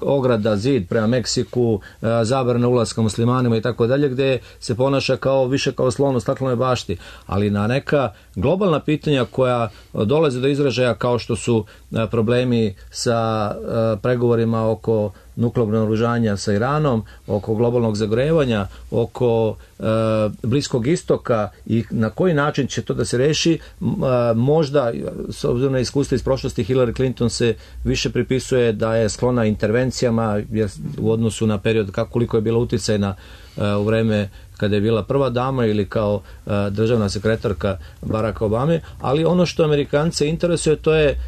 ograda, zid prema Meksiku, e, zabrana ulaska muslimanima i tako dalje, gde se ponaša kao više kao slon u staklenoj bašti. Ali na neka globalna pitanja koja dolaze do izražaja, kao što su e, problemi sa e, pregovorima oko nuklearnog naoružanja sa Iranom, oko globalnog zagrevanja, oko e, Bliskog istoka i na koji način će to da se reši, e, možda, s obzirom na iskustva iz prošlosti, Hillary Clinton se više pripisuje da je sklona intervencijama jer, u odnosu na period kako koliko je bila uticajna e, u vreme kada je bila prva dama ili kao e, državna sekretarka Baracka Obame, ali ono što Amerikance interesuje, to je,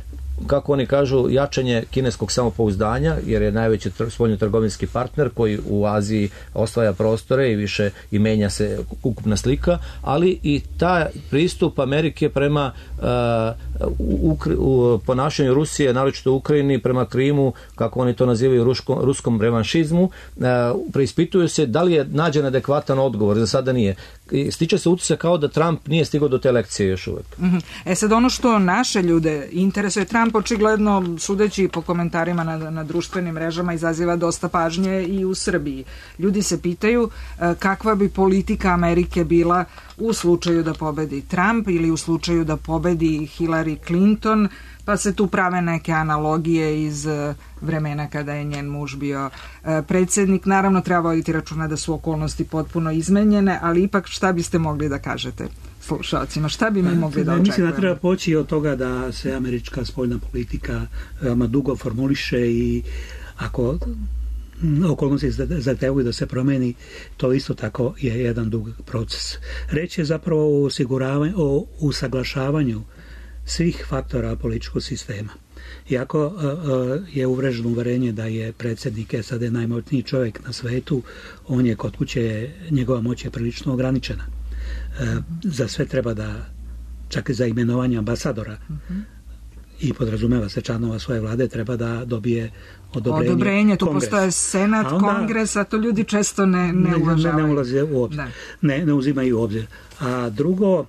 kako oni kažu, jačanje kineskog samopouzdanja, jer je najveći tr- spoljno-trgovinski partner koji u Aziji osvaja prostore i više i menja se ukupna slika, ali i taj pristup Amerike prema uh, u, u ponašanju Rusije, naročito u Ukrajini, prema Krimu, kako oni to nazivaju ruško, ruskom revanšizmu, uh, preispituju se da li je nađen adekvatan odgovor, za sada nije. I stiče se utisak kao da Trump nije stigao do te lekcije još uvek. Mm-hmm. E sad, ono što naše ljude interesuje, Trump očigledno, sudeći po komentarima na, na društvenim mrežama, izaziva dosta pažnje i u Srbiji. Ljudi se pitaju e, kakva bi politika Amerike bila u slučaju da pobedi Trump ili u slučaju da pobedi Hillary Clinton, pa se tu prave neke analogije iz vremena kada je njen muž bio e, predsjednik. Naravno, treba voditi računa da su okolnosti potpuno izmenjene, ali ipak šta biste mogli da kažete slušalcima? Šta bi mi mogli da očekujemo? Mislim da treba poći od toga da se američka spoljna politika veoma dugo formuliše i ako okolnosti zahtevaju da se promeni, to isto tako je jedan dug proces. Reč je zapravo o osiguravanju, o usaglašavanju svih faktora političkog sistema. Iako uh, uh, je uvreženo uverenje da je predsjednik S A D najmoćniji čovjek na svetu, on je kod kuće, njegova moć je prilično ograničena. Uh, za sve treba da, čak i za imenovanje ambasadora uh-huh. i podrazumeva se članova svoje vlade, treba da dobije odobrenje. Odobrenje, tu kongres. Postoje senat, a onda, kongres, a to ljudi često ne, ne uvažavaju. Ne, ne ulaze u obzir. Ne, ne uzimaju u obzir. A drugo, uh,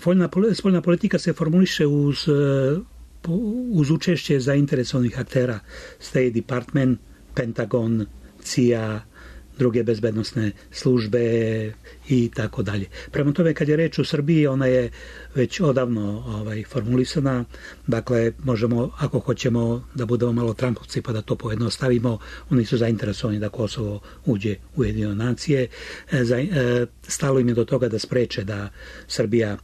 spoljna, spoljna politika se formuliše uz, uz učešće zainteresovanih aktera, State Department, Pentagon, C I A, druge bezbednosne službe i tako dalje. Prema tome, kad je reč o Srbiji, ona je već odavno ovaj, formulisana. Dakle, možemo, ako hoćemo da budemo malo Trumpovci pa da to pojednostavimo, oni su zainteresovani da Kosovo uđe u Ujedinjene nacije. E, za, e, stalo im je do toga da spreče da Srbija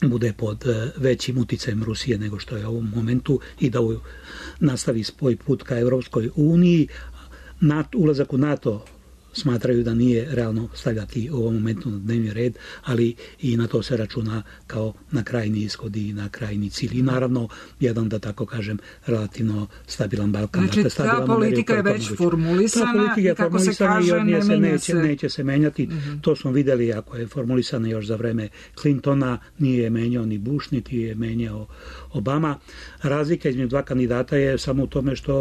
bude pod većim uticajem Rusije nego što je u ovom momentu i da nastavi svoj put ka Evropskoj uniji. NATO, ulazak u NATO smatraju da nije realno stavljati u ovom momentu na dnevni red, ali i na to se računa kao na krajni ishod i na krajni cilj. I naravno, jedan, da tako kažem, relativno stabilan Balkan. Znači, dakle, stabilan ta politika je već moguće. formulisana ta politika je kako se kaže, ne se menja neće, se. Neće se menjati. Uh-huh. To smo videli, ako je formulisana još za vreme Clintona, nije je menjao ni Bush, niti je menjao Obama. Razlika između dva kandidata je samo u tome što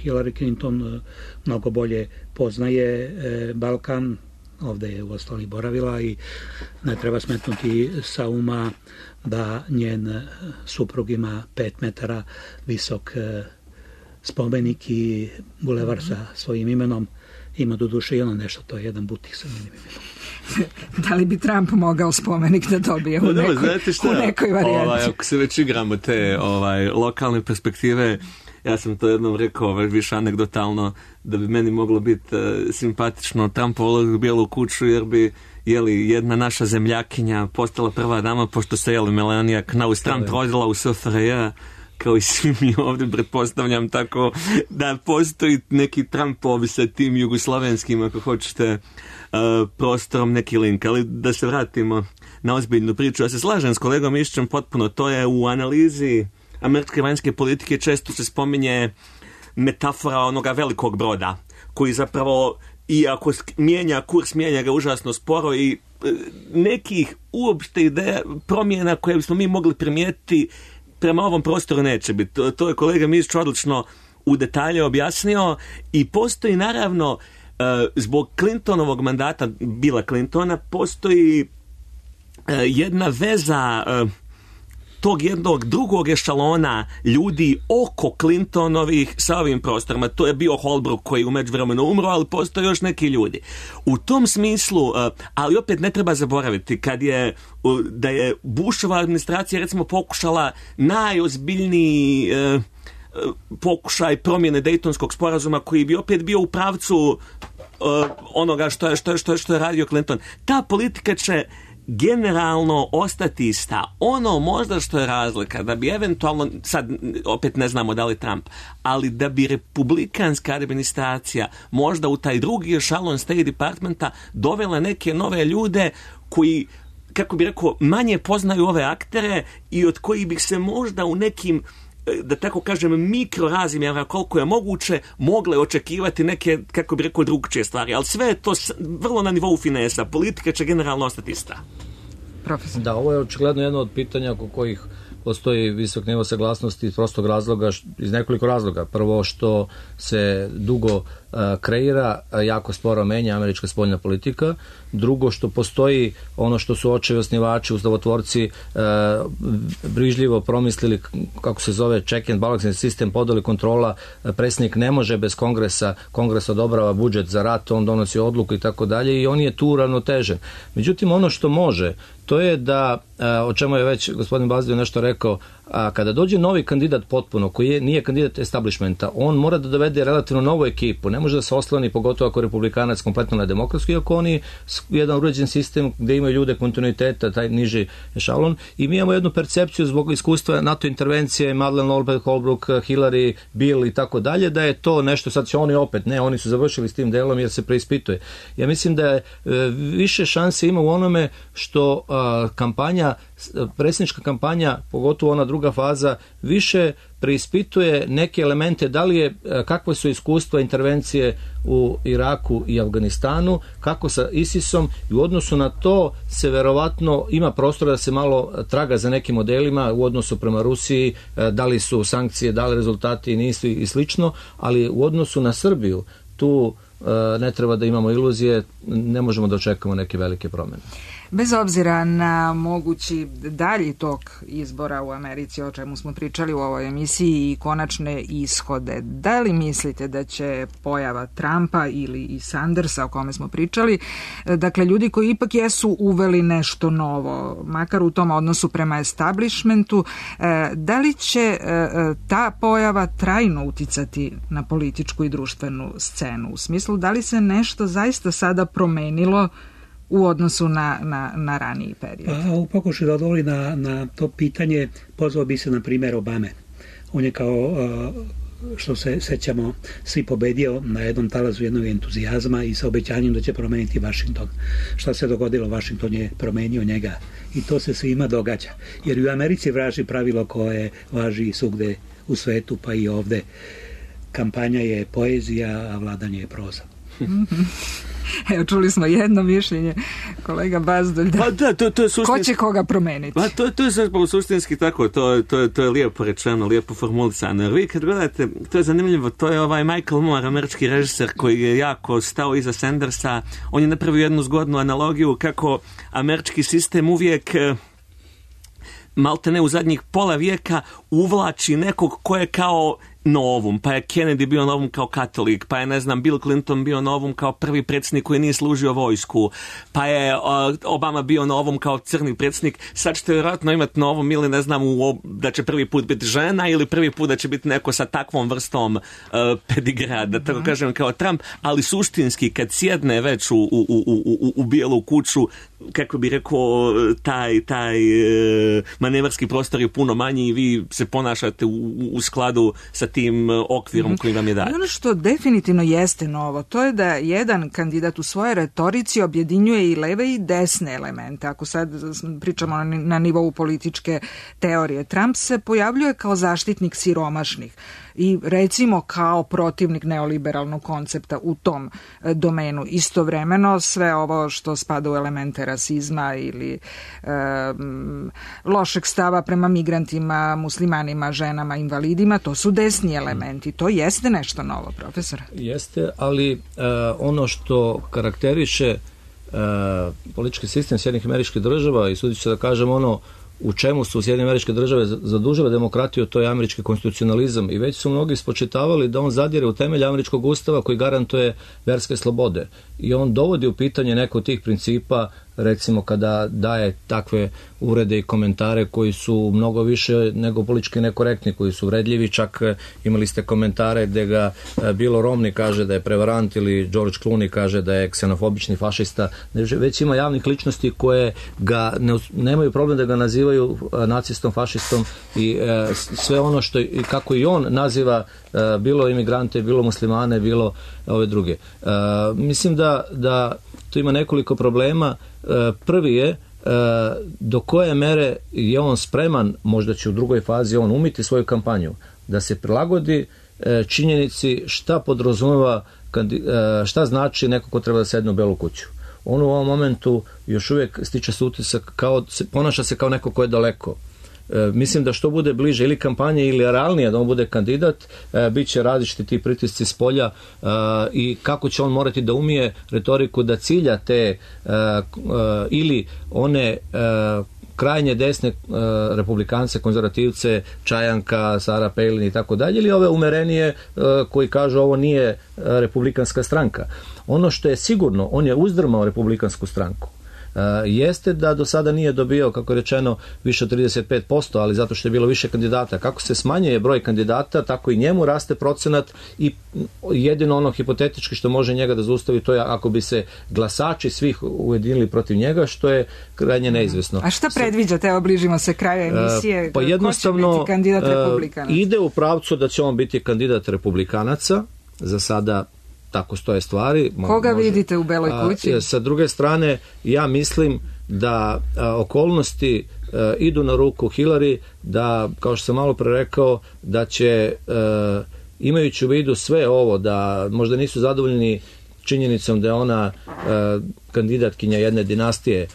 Hillary Clinton mnogo bolje poznaje e, Balkan, ovdje je u ostali boravila i ne treba smetnuti sa uma da njen suprug ima pet metara visok e, spomenik i bulevar sa svojim imenom. Ima do duše i ono nešto, to je jedan butik sa njenim imenom. Da li bi Trump mogao spomenik da dobije u nekoj, znate šta, u nekoj varijanti? Ovaj, ako se već igramo te ovaj, lokalne perspektive, ja sam to jednom rekao ovaj, više anegdotalno, da bi meni moglo biti uh, simpatično Trump ulazak u Bijelu kuću, jer bi jeli, jedna naša zemljakinja postala prva dama, pošto se jeli Melania Knaus Trump rodila u S F R J, kao i svi mi ovdje, pretpostavljam, tako da postoji neki Trumpovi sa tim jugoslovenskim, ako hoćete, uh, prostorom, neki link. Ali da se vratimo na ozbiljnu priču. Ja se slažem s kolegom Mišićem potpuno. To je u analizi američke vanjske politike često se spominje metafora onoga velikog broda, koji zapravo, iako mijenja kurs, mijenja ga užasno sporo i nekih uopšte ideja promjena koje bismo mi mogli primijetiti prema ovom prostoru neće biti. To, to je kolega Mišić odlično u detalje objasnio i postoji naravno zbog Clintonovog mandata, Billa Clintona, postoji jedna veza tog jednog drugog ešalona ljudi oko Clintonovih sa ovim prostorima. To je bio Holbrooke koji je u međuvremenu umro, ali postoje još neki ljudi. U tom smislu, ali opet ne treba zaboraviti, kad je da je Bushova administracija recimo pokušala najozbiljniji pokušaj promjene Dejtonskog sporazuma koji bi opet bio u pravcu onoga što je, što je, što je, što je radio Clinton. Ta politika će generalno ostati ista. Ono možda što je razlika, da bi eventualno, sad opet ne znamo da li Trump, ali da bi republikanska administracija možda u taj drugi ešalon State Departmenta dovela neke nove ljude koji, kako bi rekao, manje poznaju ove aktere i od kojih bi se možda u nekim, da tako kažem, mikrorazmjera koliko je moguće mogle očekivati neke, kako bi rekao, drugčije stvari. Ali sve je to vrlo na nivou finesa. Politika će generalno ostati ista. Profesor. Da, ovo je očigledno jedno od pitanja oko kojih postoji visok nivo saglasnosti iz prostog razloga, iz nekoliko razloga. Prvo što se dugo uh, kreira, jako sporo menja američka spoljna politika. Drugo što postoji ono što su očevi osnivači, ustavotvorci uh, brižljivo promislili, kako se zove, check and balance sistem, podeli kontrola, predsjednik ne može bez kongresa, kongres odobrava budžet za rat, on donosi odluku i tako dalje i on je tu ravnotežen. Međutim, ono što može, to je da, o čemu je već gospodin Bazdio nešto rekao, a kada dođe novi kandidat potpuno, koji je, nije kandidat establishmenta, on mora da dovede relativno novu ekipu, ne može da se osloni, pogotovo ako je republikanac kompletno na demokratsku, iako oni jedan uređen sistem gde imaju ljude kontinuiteta, taj niži ešalon, i mi imamo jednu percepciju zbog iskustva NATO intervencije, Madeleine Albright, Holbrooke, Hillary, Bill i tako dalje, da je to nešto, sad će oni opet, ne, oni su završili s tim delom jer se preispituje. Ja mislim da je više šanse ima u onome što a, kampanja, predsjednička kampanja, pogotovo ona druga faza, više preispituje neke elemente, da li je, kakve su iskustva intervencije u Iraku i Afganistanu, kako sa ISISom, i u odnosu na to se verovatno ima prostora da se malo traga za nekim modelima u odnosu prema Rusiji, da li su sankcije dali rezultati i nisu i slično, ali u odnosu na Srbiju tu ne treba da imamo iluzije, ne možemo da očekamo neke velike promjene. Bez obzira na mogući dalji tok izbora u Americi, o čemu smo pričali u ovoj emisiji, i konačne ishode, da li mislite da će pojava Trumpa ili i Sandersa, o kome smo pričali, dakle ljudi koji ipak jesu uveli nešto novo, makar u tom odnosu prema establishmentu, da li će ta pojava trajno uticati na političku i društvenu scenu? U smislu, da li se nešto zaista sada promenilo u odnosu na, na, na raniji period? A, u pokušaju da odgovori na, na to pitanje, pozvao bi se na primjer Obame. On je kao, što se sećamo, svi pobedio na jednom talazu jednog entuzijazma i sa obećanjem da će promeniti Washington. Šta se dogodilo? Washington je promenio njega i to se svima događa. Jer u Americi važi pravilo koje važi svugde u svetu, pa i ovde. Kampanja je poezija, a vladanje je proza. Evo, čuli smo jedno mišljenje, kolega Bazdolj, da, pa da to, to je suštinski, ko će koga promeniti? Pa to, to je zapravo suštinski tako, to, to, to je lijepo rečeno, lijepo formulisano. Jer vi kad gledate, to je zanimljivo, to je ovaj Michael Moore, američki režiser koji je jako stao iza Sandersa. On je napravio jednu zgodnu analogiju kako američki sistem uvijek, malte ne u zadnjih pola vijeka, uvlači nekog ko je kao novum, pa je Kennedy bio novum kao katolik, pa je, ne znam, Bill Clinton bio novum kao prvi predsjednik koji nije služio vojsku, pa je uh, Obama bio novum kao crni predsjednik. Sad ćete vjerojatno imati novum ili, ne znam, u, da će prvi put biti žena ili prvi put da će biti neko sa takvom vrstom uh, pedigra, da tako kažem, kao Trump, ali suštinski kad sjedne već u, u, u, u, u bijelu kuću, kako bi rekao, taj, taj uh, manevarski prostor je puno manji i vi se ponašate u, u skladu sa tim okvirom mm-hmm. koji vam je dat. Ono što definitivno jeste novo, to je da jedan kandidat u svojoj retorici objedinjuje i leve i desne elemente. Ako sad pričamo na nivou političke teorije, Trump se pojavljuje kao zaštitnik siromašnih i recimo kao protivnik neoliberalnog koncepta u tom domenu. Istovremeno sve ovo što spada u elemente rasizma ili e, lošeg stava prema migrantima, muslimanima, ženama, invalidima, to su desni elementi. To jeste nešto novo, profesor. Jeste, ali e, ono što karakteriše e, politički sistem Sjedinjenih Američkih Država i sudit ću da kažem ono u čemu su Sjedinjene Američke Države zadužile demokratiju, to je američki konstitucionalizam i već su mnogi spočitavali da on zadire u temelj američkog ustava koji garantuje verske slobode i on dovodi u pitanje neko od tih principa, recimo kada daje takve urede i komentare koji su mnogo više nego politički nekorektni, koji su vredljivi, čak imali ste komentare gde ga Bill Romney kaže da je prevarant ili George Clooney kaže da je ksenofobični fašista, već ima javnih ličnosti koje ga ne, nemaju problem da ga nazivaju nacistom, fašistom i e, sve ono što i kako i on naziva e, bilo imigrante, bilo muslimane, bilo ove druge. E, mislim da, da tu ima nekoliko problema. Prvi je do koje mere je on spreman, možda će u drugoj fazi on umiti svoju kampanju, da se prilagodi činjenici šta podrazumeva, šta znači neko ko treba da sedne u Belu kuću. On u ovom momentu još uvijek stiče se utisak, kao, ponaša se kao neko ko je daleko. E, mislim da što bude bliže ili kampanje ili realnije da on bude kandidat, e, bit će različiti ti pritisci s polja e, i kako će on morati da umije retoriku da cilja te e, e, ili one e, krajnje desne e, republikance, konzervativce, Čajanka, Sarah Palin i tako dalje, ili ove umerenije e, koji kažu ovo nije republikanska stranka. Ono što je sigurno, on je uzdrmao republikansku stranku. Uh, jeste da do sada nije dobio, kako je rečeno, više od trideset pet posto, ali zato što je bilo više kandidata. Kako se smanjuje broj kandidata, tako i njemu raste procenat i jedino ono hipotetički što može njega da zaustavi, to je ako bi se glasači svih ujedinili protiv njega, što je krajnje neizvesno. A šta predviđate? Evo, bližimo se kraju emisije. Uh, pa jednostavno, ko će biti kandidat republikanaca? Uh, ide u pravcu da će on biti kandidat republikanaca, za sada tako stoje stvari. Koga može, vidite u Beloj kući? A, sa druge strane, ja mislim da a, okolnosti a, idu na ruku Hillary, da, kao što sam malo pre rekao, da će, a, imajući u vidu sve ovo, da možda nisu zadovoljni činjenicom da je ona a, kandidatkinja jedne dinastije,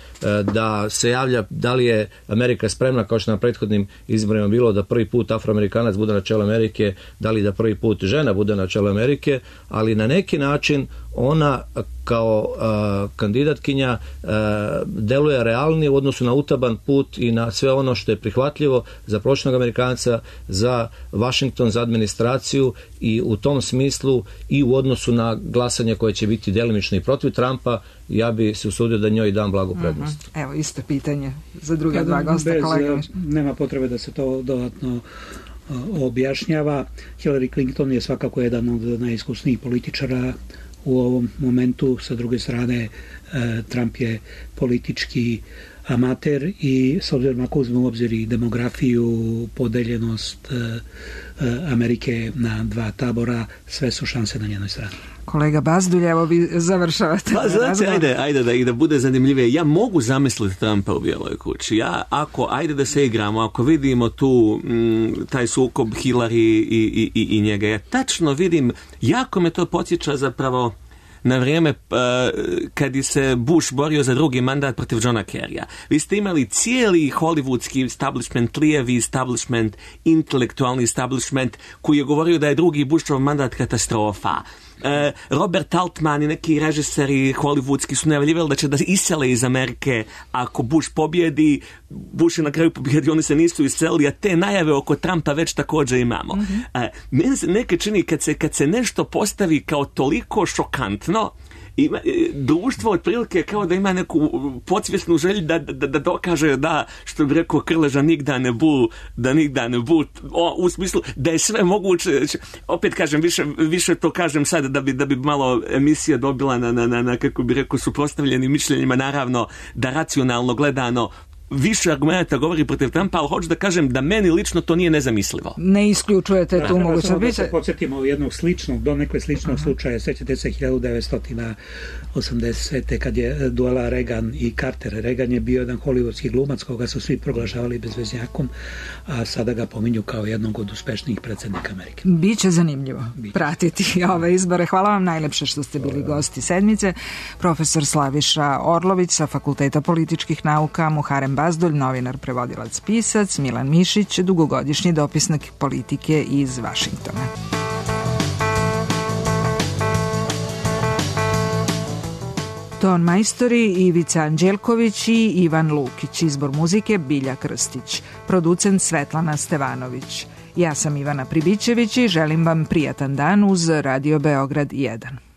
da se javlja da li je Amerika spremna, kao što na prethodnim izborima bilo, da prvi put Afroamerikanac bude na čelu Amerike, da li da prvi put žena bude na čelu Amerike, ali na neki način ona kao uh, kandidatkinja uh, deluje realnije u odnosu na utaban put i na sve ono što je prihvatljivo za prosječnog Amerikanca, za Washington, za administraciju i u tom smislu i u odnosu na glasanje koje će biti delimično i protiv Trumpa, ja bi se usudio da njoj dam blagu prednost. Uh-huh. Evo, isto pitanje za druga dva gosta, bez, kolega. Nema potrebe da se to dodatno uh, objašnjava. Hillary Clinton je svakako jedan od najiskusnijih političara u ovom momentu. Sa druge strane, uh, Trump je politički amater i s obzirom ako uzmemo u obzir i demografiju, podeljenost uh, uh, Amerike na dva tabora, sve su šanse na njenoj strani. Kolega Bazdulj, evo vi završavate. Pa znači, ajde, ajde da, i da bude zanimljivije. Ja mogu zamisliti Trumpa u Bijeloj kući. Ja, ako, ajde da se igramo, ako vidimo tu m, taj sukob Hillary i, i, i, i njega, ja tačno vidim, jako me to podsjeća zapravo na vrijeme uh, kad je se Bush borio za drugi mandat protiv Johna Kerrya. Vi ste imali cijeli hollywoodski establishment, lijevi establishment, intelektualni establishment koji je govorio da je drugi Bushov mandat katastrofa. E, Robert Altman i neki režiseri hollywoodski su najavljivali da će da isele iz Amerike ako Bush pobjedi. Bush je na kraju pobjedi, oni se nisu iselili, a te najave oko Trumpa već također imamo. Mm-hmm. E, meni se neke čini kad se, kad se nešto postavi kao toliko šokantno, ima, društvo otprilike kao da ima neku podsvjesnu želju da, da, da dokaže da, što bi rekao Krleža, nigda ne bu, da nigda ne bu, o, u smislu da je sve moguće. Opet kažem, više, više to kažem sad da bi, da bi malo emisija dobila na, na, na, na kako bi rekao, suprotstavljenim mišljenjima, naravno da racionalno gledano više argumenta govori protiv Trumpa, ali hoću da kažem da meni lično to nije nezamislivo. Ne isključujete tu mogućnost. Da se podsjetimo jednog sličnog, donekle sličnog uh-huh. slučaja, sećate se hiljadu devetsto osamdesete kad je duela Reagan i Carter. Reagan je bio jedan hollywoodski glumac koga su svi proglašavali bezveznjakom, a sada ga pominju kao jednog od uspešnijih predsjednika Amerike. Biće zanimljivo Biće. pratiti ove izbore. Hvala vam najlepše što ste bili gosti sedmice. Profesor Slaviša Orlović sa Fakulteta političkih nauka, Muharem Bazdulj, novinar, prevodilac, pisac, Milan Mišić, dugogodišnji dopisnik politike iz Vašingtona. Ton majstori Ivica Anđelković i Ivan Lukić. Izbor muzike Bilja Krstić. Producent Svetlana Stevanović. Ja sam Ivana Pribićević i želim vam prijatan dan uz Radio Beograd jedan.